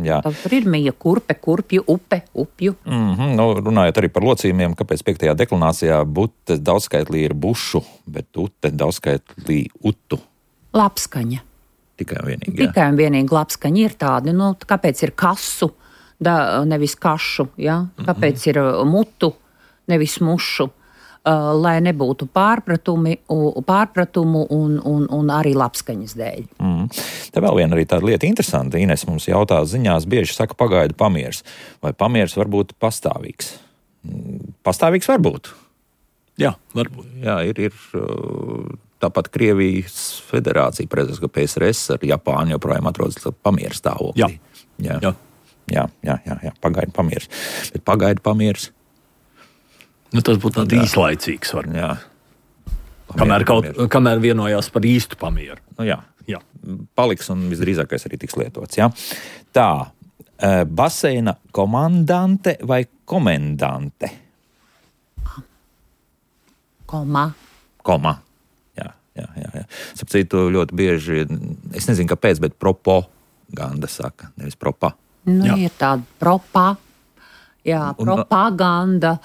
Jā. Tur ir mija, kurpe, kurpju, upe, upju. Runājot arī par locījumiem, kāpēc 5. deklinācijā bute daudzskaitlī ir bušu, bet ute daudzskaitlī utu. Lapskaņa. Tikai un vienīgi lapskaņa ir tādi. Kāpēc ir kasu, nevis kašu? Kāpēc ir mutu? Nevis mušu, lai nebūtu pārpratumu un arī lapskaņas dēļ. Te vēl viena arī tāda lieta interesanta. Ines mums jautā ziņās, bieži saka pagaidu pamieris. Vai pamieris var būt pastāvīgs? Pastāvīgs var būt. Jā, varbūt. Jā, ir tāpat Krievijas federācija, prezidents, ka PSRS ar Japānu joprojām atrodas pamieris stāvoklī. Jā, pagaidu pamieris. Bet pagaidu pamieris. Tas būtu tāds īslaicīgs. Kamēr vienojās par īstu pamieru. Jā. Paliks un visdrīzākais arī tiks lietots. Jā. Tā, baseina komandante vai komendante? Koma. Jā. Sapratu, ļoti bieži, es nezinu kāpēc, bet propaganda saka, nevis propa. Ir tāda propa. Jā, propaganda,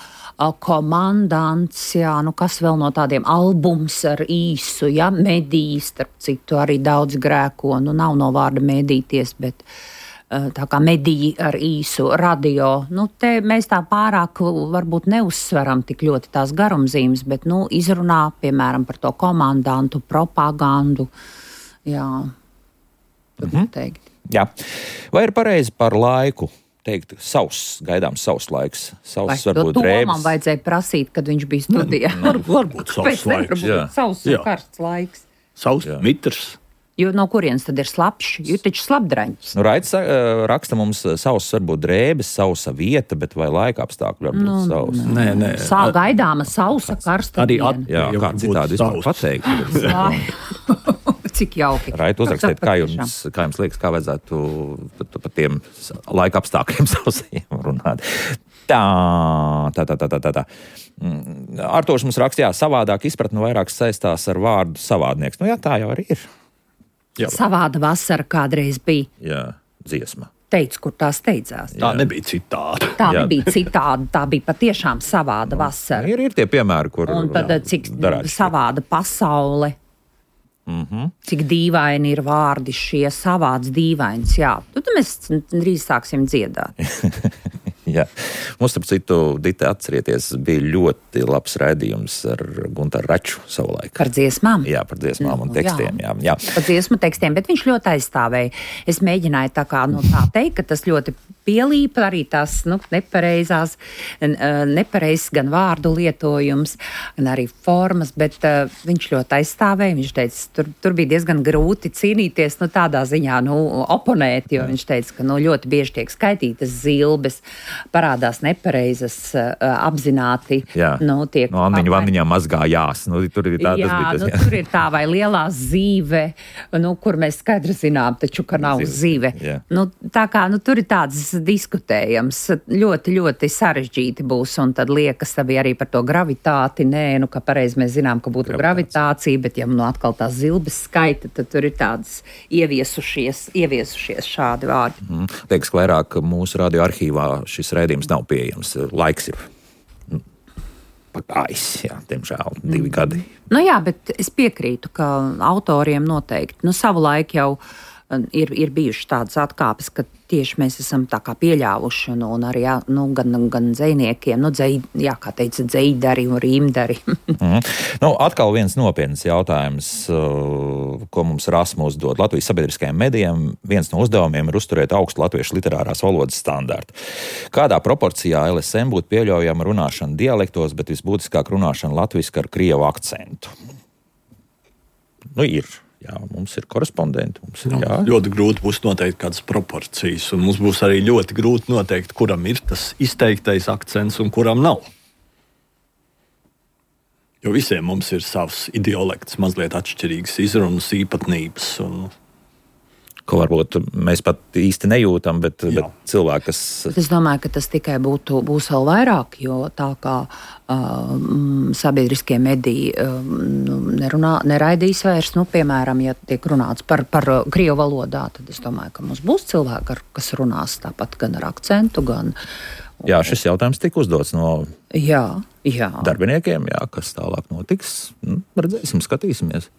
komandants, kas vēl no tādiem albums ar īsu, mediji, starp citu, arī daudz grēko, nav no vārda medīties, bet tā kā mediji ar īsu, radio, te mēs tā pārāk varbūt neuzsveram tik ļoti tās garumzīmes, bet, izrunā, piemēram, par to komandantu, propagandu, jā, tad teikt. Jā, vai ir pareizi par laiku? teikt, gaidāms savs laiks. Vai Varbūt to drēbes. man vajadzēja prasīt, kad viņš bija studijā? Varbūt savs laiks. Savs un karsts laiks. Savs, mitrs. Jo no kurienes tad ir slapšs? Jo taču slapdraņķis. Raidis raksta mums savs varbūt drēbes, sausa vieta, bet vai laika apstākļi varbūt savs. Nē. Gaidāma sausa karsta Arī diena. Jā, kā citādi vispār pateikt. Cik jauki. Raid uzrakstiet, kā jums liekas, kā vajadzētu par tiem laika apstākļiem sausajiem runāt. Tā. Artūrs mums raksta, savādāk izpratni vairāk saistās ar vārdu savādnieks. Nu jā, tā jau arī ir. Jā. Savāda vasara kādreiz bija. Jā, dziesma. Teicu, kur tā steidzās. Tā nebija citāda. Tā nebija citāda, tā bija patiešām savāda vasara. Ir tie piemēri, kur Un tad cik savāda pasaule. Cik dīvaini ir vārdi šie, savāds dīvains. Jā, tad mēs drīz sāksim dziedāt. Jā. Mums, starp citu, Dita, atcerieties, bija ļoti labs raidījums ar Guntaru Raču savulaik. Par dziesmām? Jā, par dziesmām un tekstiem. Jā. Par dziesmu tekstiem, bet viņš ļoti aizstāvēja. Es mēģināju tā teikt, ka tas ļoti pielīpa arī tās nepareizs gan vārdu lietojums, gan arī formas, bet viņš ļoti aizstāvēja. Viņš teica, tur bija diezgan grūti cīnīties, tādā ziņā, oponēt, jo viņš teica, ka ļoti bieži tiek skaitītas zilbes, parādās nepareizas, apzināti. Tiek vanniņā mazgā jās. Tur ir tā, tur ir tā vai lielā zīve, kur mēs skaidri zinām, taču, ka nav zīve. Tā kā tur ir tāds diskutējams, ļoti, ļoti sarežģīti būs, un tad liekas arī par to gravitāti. Nē, ka pareizi mēs zinām, ka būtu gravitācija, bet ja atkal tās zilbes skaita, tad tur ir tādas ieviesušies šādi vārdi. Liekas, ka vairāk mūsu radio arhīvā šis raidījums nav pieejams. Laiks ir pagājis, diemžēl 2 gadi. Jā, bet es piekrītu, ka autoriem noteikti. Savulaik jau ir bijušas tādas atkāpes, ka tieši mēs esam tā kā pieļāvuši, un arī gan dzejniekiem, kā teica, dzejdari un rīmdari. Atkal viens nopietns jautājums, ko mums Rasmus dod. Latvijas sabiedriskajiem medijiem viens no uzdevumiem ir uzturēt augstu latviešu literārās valodas standārtu. Kādā proporcijā LSM būtu pieļaujama runāšana dialektos, bet visbūtiskāk runāšana latviski ar krievu akcentu? Ir. Jā, mums ir korespondenti. Ļoti grūti būs noteikt kādas proporcijas, un mums būs arī ļoti grūti noteikt, kuram ir tas izteiktais akcents un kuram nav. Jo visiem mums ir savs idiolekts, mazliet atšķirīgas izrunas īpatnības. Ko varbūt mēs pat īsti nejūtam, bet cilvēki, kas... Es domāju, ka tas tikai būs vēl vairāk, jo tā kā sabiedriskie mediji neraidīs vairs, piemēram, ja tiek runāts par krievu valodā, tad es domāju, ka mums būs cilvēki, kas runās tāpat gan ar akcentu, gan... Jā, šis jautājums tika uzdots no darbiniekiem, kas tālāk notiks. Redzēsim, skatīsimies.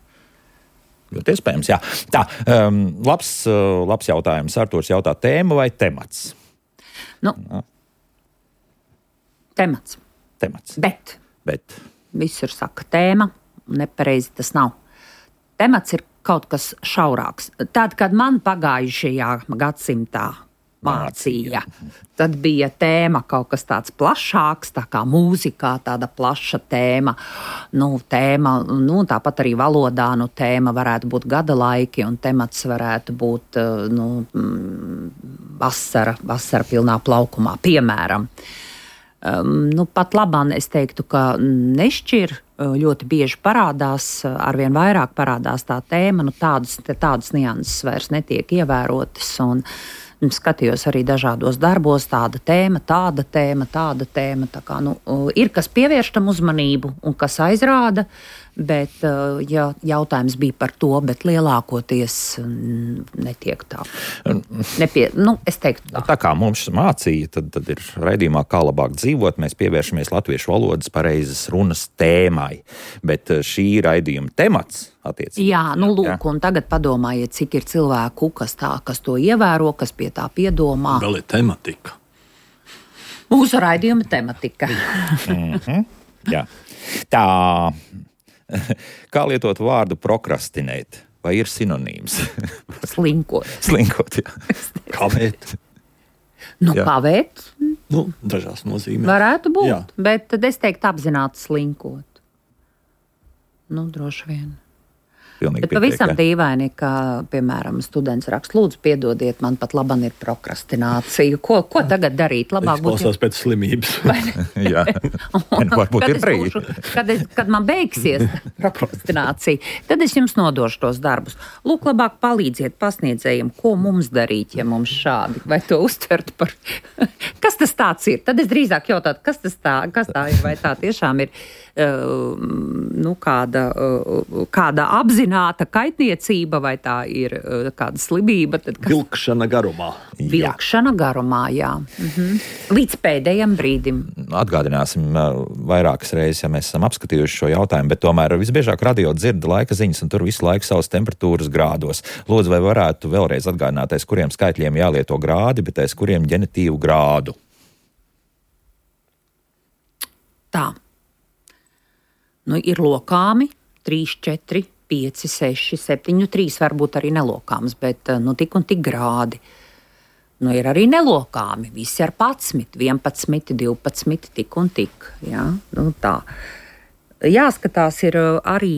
Ļoti iespējams, jā. Tā, labs jautājums. Artūrs jautā, tēma vai temats? Temats. Bet visur saka tēma, nepareizi tas nav. Temats ir kaut kas šaurāks. Tad, kad man pagājušajā gadsimtā mācīja, tad bija tēma kaut kas tāds plašāks, tā kā mūzikā tāda plaša tēma. Tāpat arī valodā tēma varētu būt gada laiki, un temats varētu būt vasara pilnā plaukumā, piemēram. Pat labāk es teiktu, ka nešķir, ļoti bieži parādās, arvien vairāk parādās tā tēma, tādas nianses vairs netiek ievērotas, un skatījos arī dažādos darbos, tāda tēma, tāda tēma. Tā kā, ir kas pievērš tam uzmanību un kas aizrāda, bet jautājums bija par to, bet lielākoties netiek tā. Es teiktu tā. Tā kā mums mācīja, tad ir raidījumā Kā labāk dzīvot, mēs pievēršamies latviešu valodas pareizas runas tēmai, bet šī raidījuma temats attiecīgi. Jā, un tagad padomājiet, cik ir cilvēku, kas to ievēro, kas pie tā piedomā. Vēl ir tematika. Mūsu raidījuma tematika. Jā. Tā, kā lietot vārdu prokrastinēt? Vai ir sinonīms? Slinkot. Slinkot, jā. Kāpēc? Pavēt. Dažās nozīmēs. Varētu būt, Jā. bet tad es teiktu apzināti slinkot. Droši vien. Pilnīgi Bet pavisam pietiek, dīvaini, ka, piemēram, students raksta, lūdzu, piedodiet, man pat labam ir prokrastinācija. Ko tagad darīt? Labāk būtu. Klausās pēc slimības. Jā, varbūt ir brīdi. Kad man beigsies prokrastinācija, tad es jums nodošu tos darbus. Lūk, labāk palīdziet pasniedzējiem, ko mums darīt, ja mums šādi, vai to uztvert par. Kas tas tāds ir? Tad es drīzāk jautātu, kas tā ir, vai tā tiešām ir kāda apzināta kaitniecība, vai tā ir kāda slimība. Vilkšana garumā. Vilkšana garumā, jā. Līdz pēdējiem brīdim. Atgādināsim vairākas reizes, ja mēs esam apskatījuši šo jautājumu, bet tomēr visbiežāk radio dzird laika ziņas, un tur visu laiku savas temperatūras grādos. Lūdzu, vai varētu vēlreiz atgādināt, aiz kuriem skaitļiem jālieto grādi, bet aiz kuriem ģenitīvu grādu? Tā. Ir lokāmi 3, 4, 5, 6, 7, 3 varbūt arī nelokāms, bet tik un tik grādi. Ir arī nelokāmi, visi ar 11, 11, 12, tik un tik. Ja? Tā. Jāskatās, arī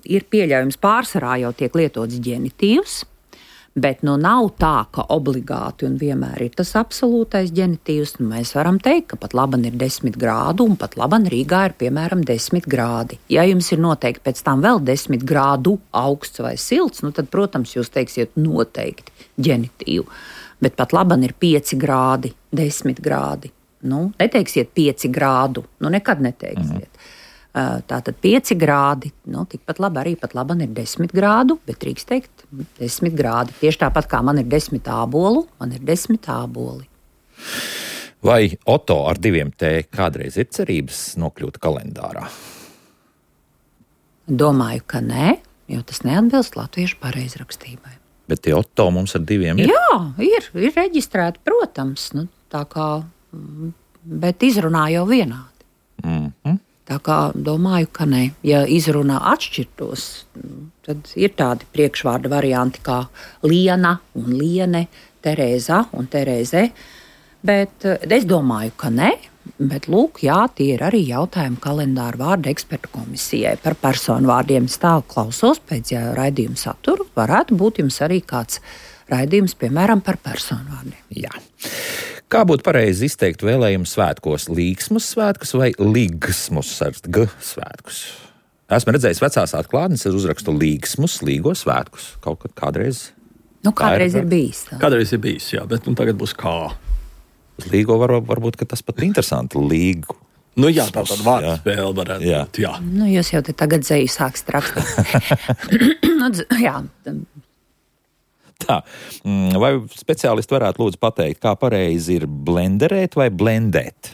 ir pieļaujams pārsvarā jau tiek lietots ģenitīvs, bet nav tā, ka obligāti un vienmēr ir tas absolūtais ģenitīvs. Mēs varam teikt, ka pat laban ir 10 grādu un pat laban Rīgā ir piemēram 10 grādi. Ja jums ir noteikti pēc tam vēl 10 grādu augsts vai silts, tad, protams, jūs teiksiet noteikti ģenitīvu. Bet pat laban ir 5 grādi, 10 grādi. Neteiksiet 5 grādu, nekad neteiksiet. Tātad 5 grādi, tikpat labi arī pat laban ir 10 grādu, bet drīkst teikt 10 grādi. Tieši tāpat kā man ir 10 ābolu, man ir 10 āboli. Vai Oto ar 2 T kādreiz ir cerības nokļūt kalendārā? Domāju, ka nē, jo tas neatbilst latviešu pareizrakstībai. Bet tie Oto mums ar 2 ir? Jā, ir reģistrēti, protams, tā kā, bet izrunā jau vienādi. Tā kā domāju, ka ne. Ja izrunā atšķirtos, tad ir tādi priekšvārda varianti kā Liena un Liene, Terēza un Terēze. Bet es domāju, ka ne. Bet lūk, jā, tie ir arī jautājumi kalendāra vārdu ekspertu komisijai par personu vārdiem. Stāv klausos pēc raidījuma saturu. Varētu būt jums arī kāds raidījums, piemēram, par personu vārdiem. Jā. Kā būtu pareizi izteikt vēlējumu svētkos? Līgsmus svētkus vai līgsmus ar G svētkus? Esmu redzējis vecās atklātnes ar uzrakstu līgsmus, līgo svētkus. Kaut kad kādreiz? Kādreiz ir bijis. Tā. Kādreiz ir bijis, jā, bet tagad būs kā. Uz līgo varbūt, ka tas pat interesanti līgu. Jā, tā tad vārdu spēle varētu būt, jā. Jūs jau te tagad zeju sākst rakstīt. Jā. Tā, vai speciālisti varētu lūdzu pateikt, kā pareizi ir blenderēt vai blendēt?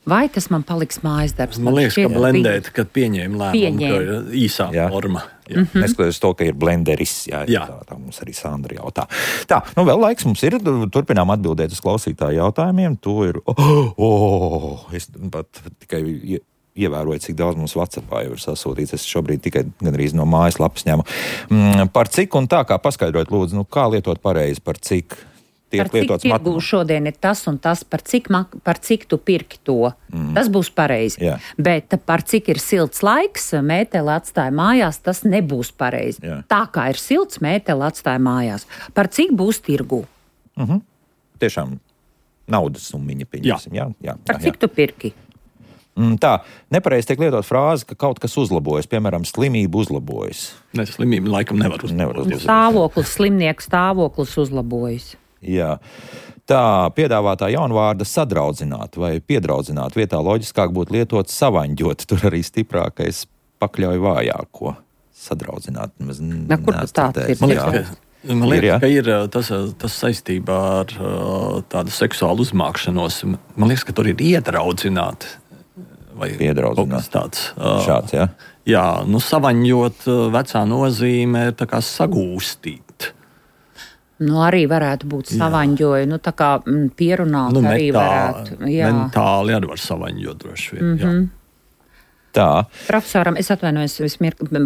Vai tas man paliks mājas darbs? Man liekas, ka blendēt, kad pieņēma lēmumu, ka ir īsā forma. Neskatoties to, ka ir blenderis, tā mums arī Sandra jautā. Tā, vēl laiks mums ir, turpinām atbildēt uz klausītāju jautājumiem. To ir, es pat tikai ievēroju, cik daudz mums WhatsAppā jau ir sasūtīts. Es šobrīd tikai gandrīz no mājaslapas ņemu. Par cik un tā, kā paskaidrot, lūdzu, kā lietot pareizi, par cik tiek lietots tirgū šodien ir tas un tas, par cik tu pirki to. Tas būs pareizi. Jā. Bet par cik ir silts laiks, mēteli atstāja mājās, tas nebūs pareizi. Jā. Tā kā ir silts, mēteli atstāja mājās. Par cik būs tirgū? Tiešām naudas summiņa pieņemsim. Jā. Par cik tu pirki? Tā, nepareizi tiek lietot frāzi, ka kaut kas uzlabojas, piemēram, slimība uzlabojas. Ne, slimība laikam nevar uzlaboties. Slimnieka stāvoklis uzlabojas. Jā. Tā, piedāvātā jaunvārda sadraudzināt vai piedraudzināt vietā loģiskāk būtu lietot savaņģot, tur arī stiprākais pakļauj vājāko. Sadraudzināt. Kur tāds ir? Man liekas, ka ir tas saistībā ar tādu seksuālu uzmākšanos. Man liekas, ka tur ir iedraudzināt. Vai piedraudzināt. Tāds, šāds, jā? Jā, savaņģot vecā nozīme ir tā kā sagūstīt. Arī varētu būt savaņģoja, tā kā pierunāt arī varētu. Jā. Mentāli arī var savaņģot droši vien, jā. Tā. Profesoram, es atvainojos,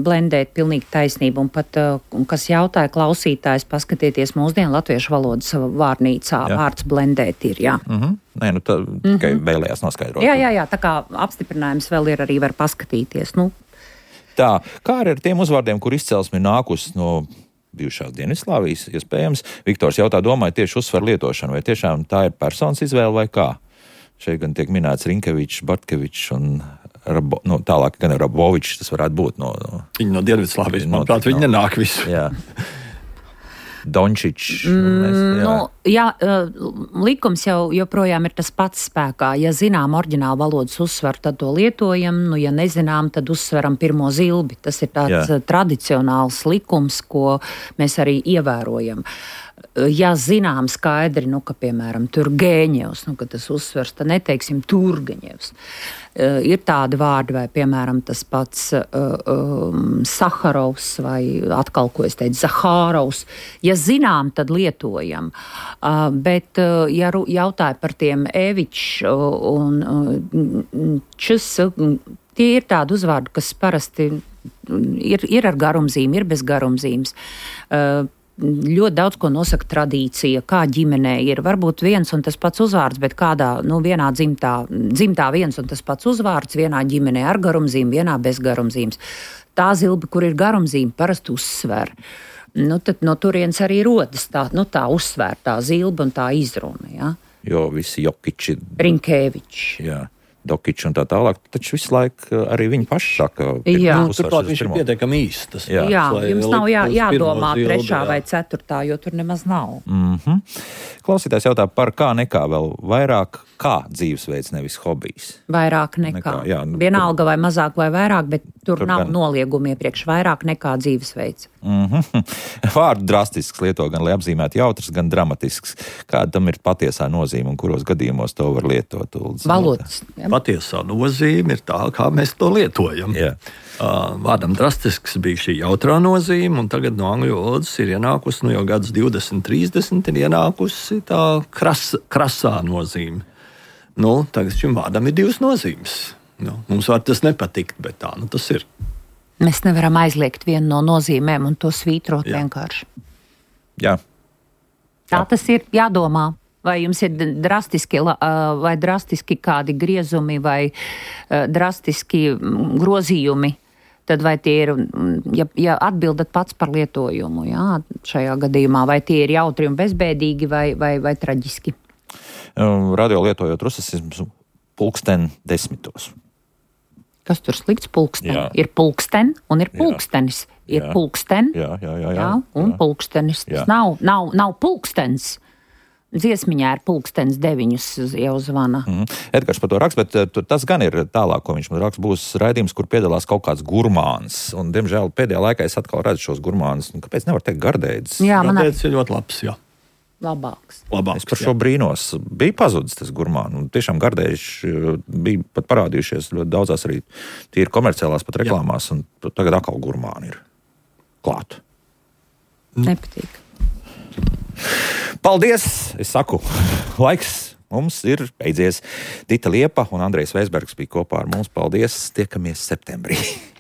blendēt pilnīgi taisnību, un pat, kas jautāja klausītājs, paskatieties mūsdienu latviešu valodas vārnīcā, vārds blendēt ir, jā. Nē, nu tā tikai vēlējās noskaidrot. Jā, tā kā apstiprinājums vēl ir, arī var paskatīties, nu. Tā, kā ar tiem uzvārdiem, kur izcelsme ir nākusi no bijušās Dienvidslāvijas, iespējams, Viktors jautā, domāju tieši uzsver lietošanu, vai tiešām tā ir personas izvēle vai kā? Šeit gan tiek minēts Rinkevičs, Bartkevičs un tālāk gan Rabovičs, tas varētu būt no Viņi no Dienvidslāvijas, manuprāt, viņi nenāk visu. Jā. Dončičs. Likums jau joprojām ir tas pats spēkā. Ja zinām oriģinālu valodas uzsvaru, tad to lietojam. Ja nezinām, tad uzsveram pirmo zilbi. Tas ir tāds tradicionāls likums, ko mēs arī ievērojam. Ja zinām skaidri, ka, piemēram, Turgeņevs, ka tas uzsvers, tad neteiksim Turgeņevs. Ir tādi vārdi, vai, piemēram, tas pats Saharovs, vai atkal, ko es teicu, Zahārovs. Ja zinām, tad lietojam. Bet, ja jautāja par tiem Evičs un Čs, tie ir tādi uzvārdi, kas parasti ir ar garumzīmi, ir bez garumzīmes. Ļoti daudz ko nosaka tradīcija, kā ģimenē ir. Varbūt viens un tas pats uzvārds, bet kādā, vienā dzimtā viens un tas pats uzvārds, vienā ģimenē ar garumzīmi, vienā bez garumzīmes. Tā zilbe, kur ir garumzīme, parasti uzsver. Tad no turienes arī rodas tā uzsvērtā zilbe un tā izruna, ja? Jo visi Jokiči. Rinkevičs. Jā. Dokičs un tā tālāk, taču visu laiku arī viņi paši saka. Turklāt viņš ir pietiekami īsts. Jā, jums nav jādomā trešā vai ceturtā, jo tur nemaz nav. Klausītājs jautā par kā nekā vēl vairāk, kā dzīvesveids, nevis hobijs. Vairāk nekā. Vienalga vai mazāk vai vairāk, bet tur nav noliegumi iepriekš vairāk nekā dzīvesveids. Vārdu drastisks lieto gan, lai apzīmētu jautrs, gan dramatisks. Kāda tam ir patiesā nozīme un kuros gadījumos to var lietot? Valodas. Patiesā nozīme ir tā, kā mēs to lietojam. Vārdam drastisks bija šī jautrā nozīme, un tagad no angļu valodas ir ienākusi, jau gads 20, 30, ir ienākusi tā krasā nozīme. Tagad šim vārdam ir divas nozīmes. Mums var tas nepatikt, bet tā tas ir. Mēs nevaram aizliegt vienu no nozīmēm un to svītrot vienkārši. Jā. Tā tas ir jādomā. Vai jums ir drastiski kādi griezumi vai drastiski grozījumi, tad vai tie ir, ja atbildat pats par lietojumu, šajā gadījumā, vai tie ir jautri un bezbēdīgi vai traģiski? Radio lietojot rusismu pulksten 10. Kas tur slikts? Pulksten. Ir pulksten un ir pulkstenis. Ir pulksten, un pulkstenis. Tas nav pulkstens. Dziesmiņā ir pulkstens 9 jau zvana. Edgars par to raksta, bet tas gan ir tālāk, ko viņš man raksta, būs raidījums, kur piedalās kaut kāds gurmāns. Un, diemžēl, pēdējā laikā es atkal redzu šos gurmānus. Kāpēc nevar teikt gardēdzis? Gardēdzis ir ļoti labs, Labāks. Es par šo brīnos. Bija pazudis tas gurmāns. Tiešām gardējuši bija pat parādījušies ļoti daudzās arī tīri komerciālās pat reklāmās. Un tagad atkal gurmāni ir klāt. Nepatīk. Paldies! Es saku, laiks mums ir beidzies. Dita Liepa un Andrejs Veisbergs bija kopā ar mums. Paldies! Tiekamies septembrī!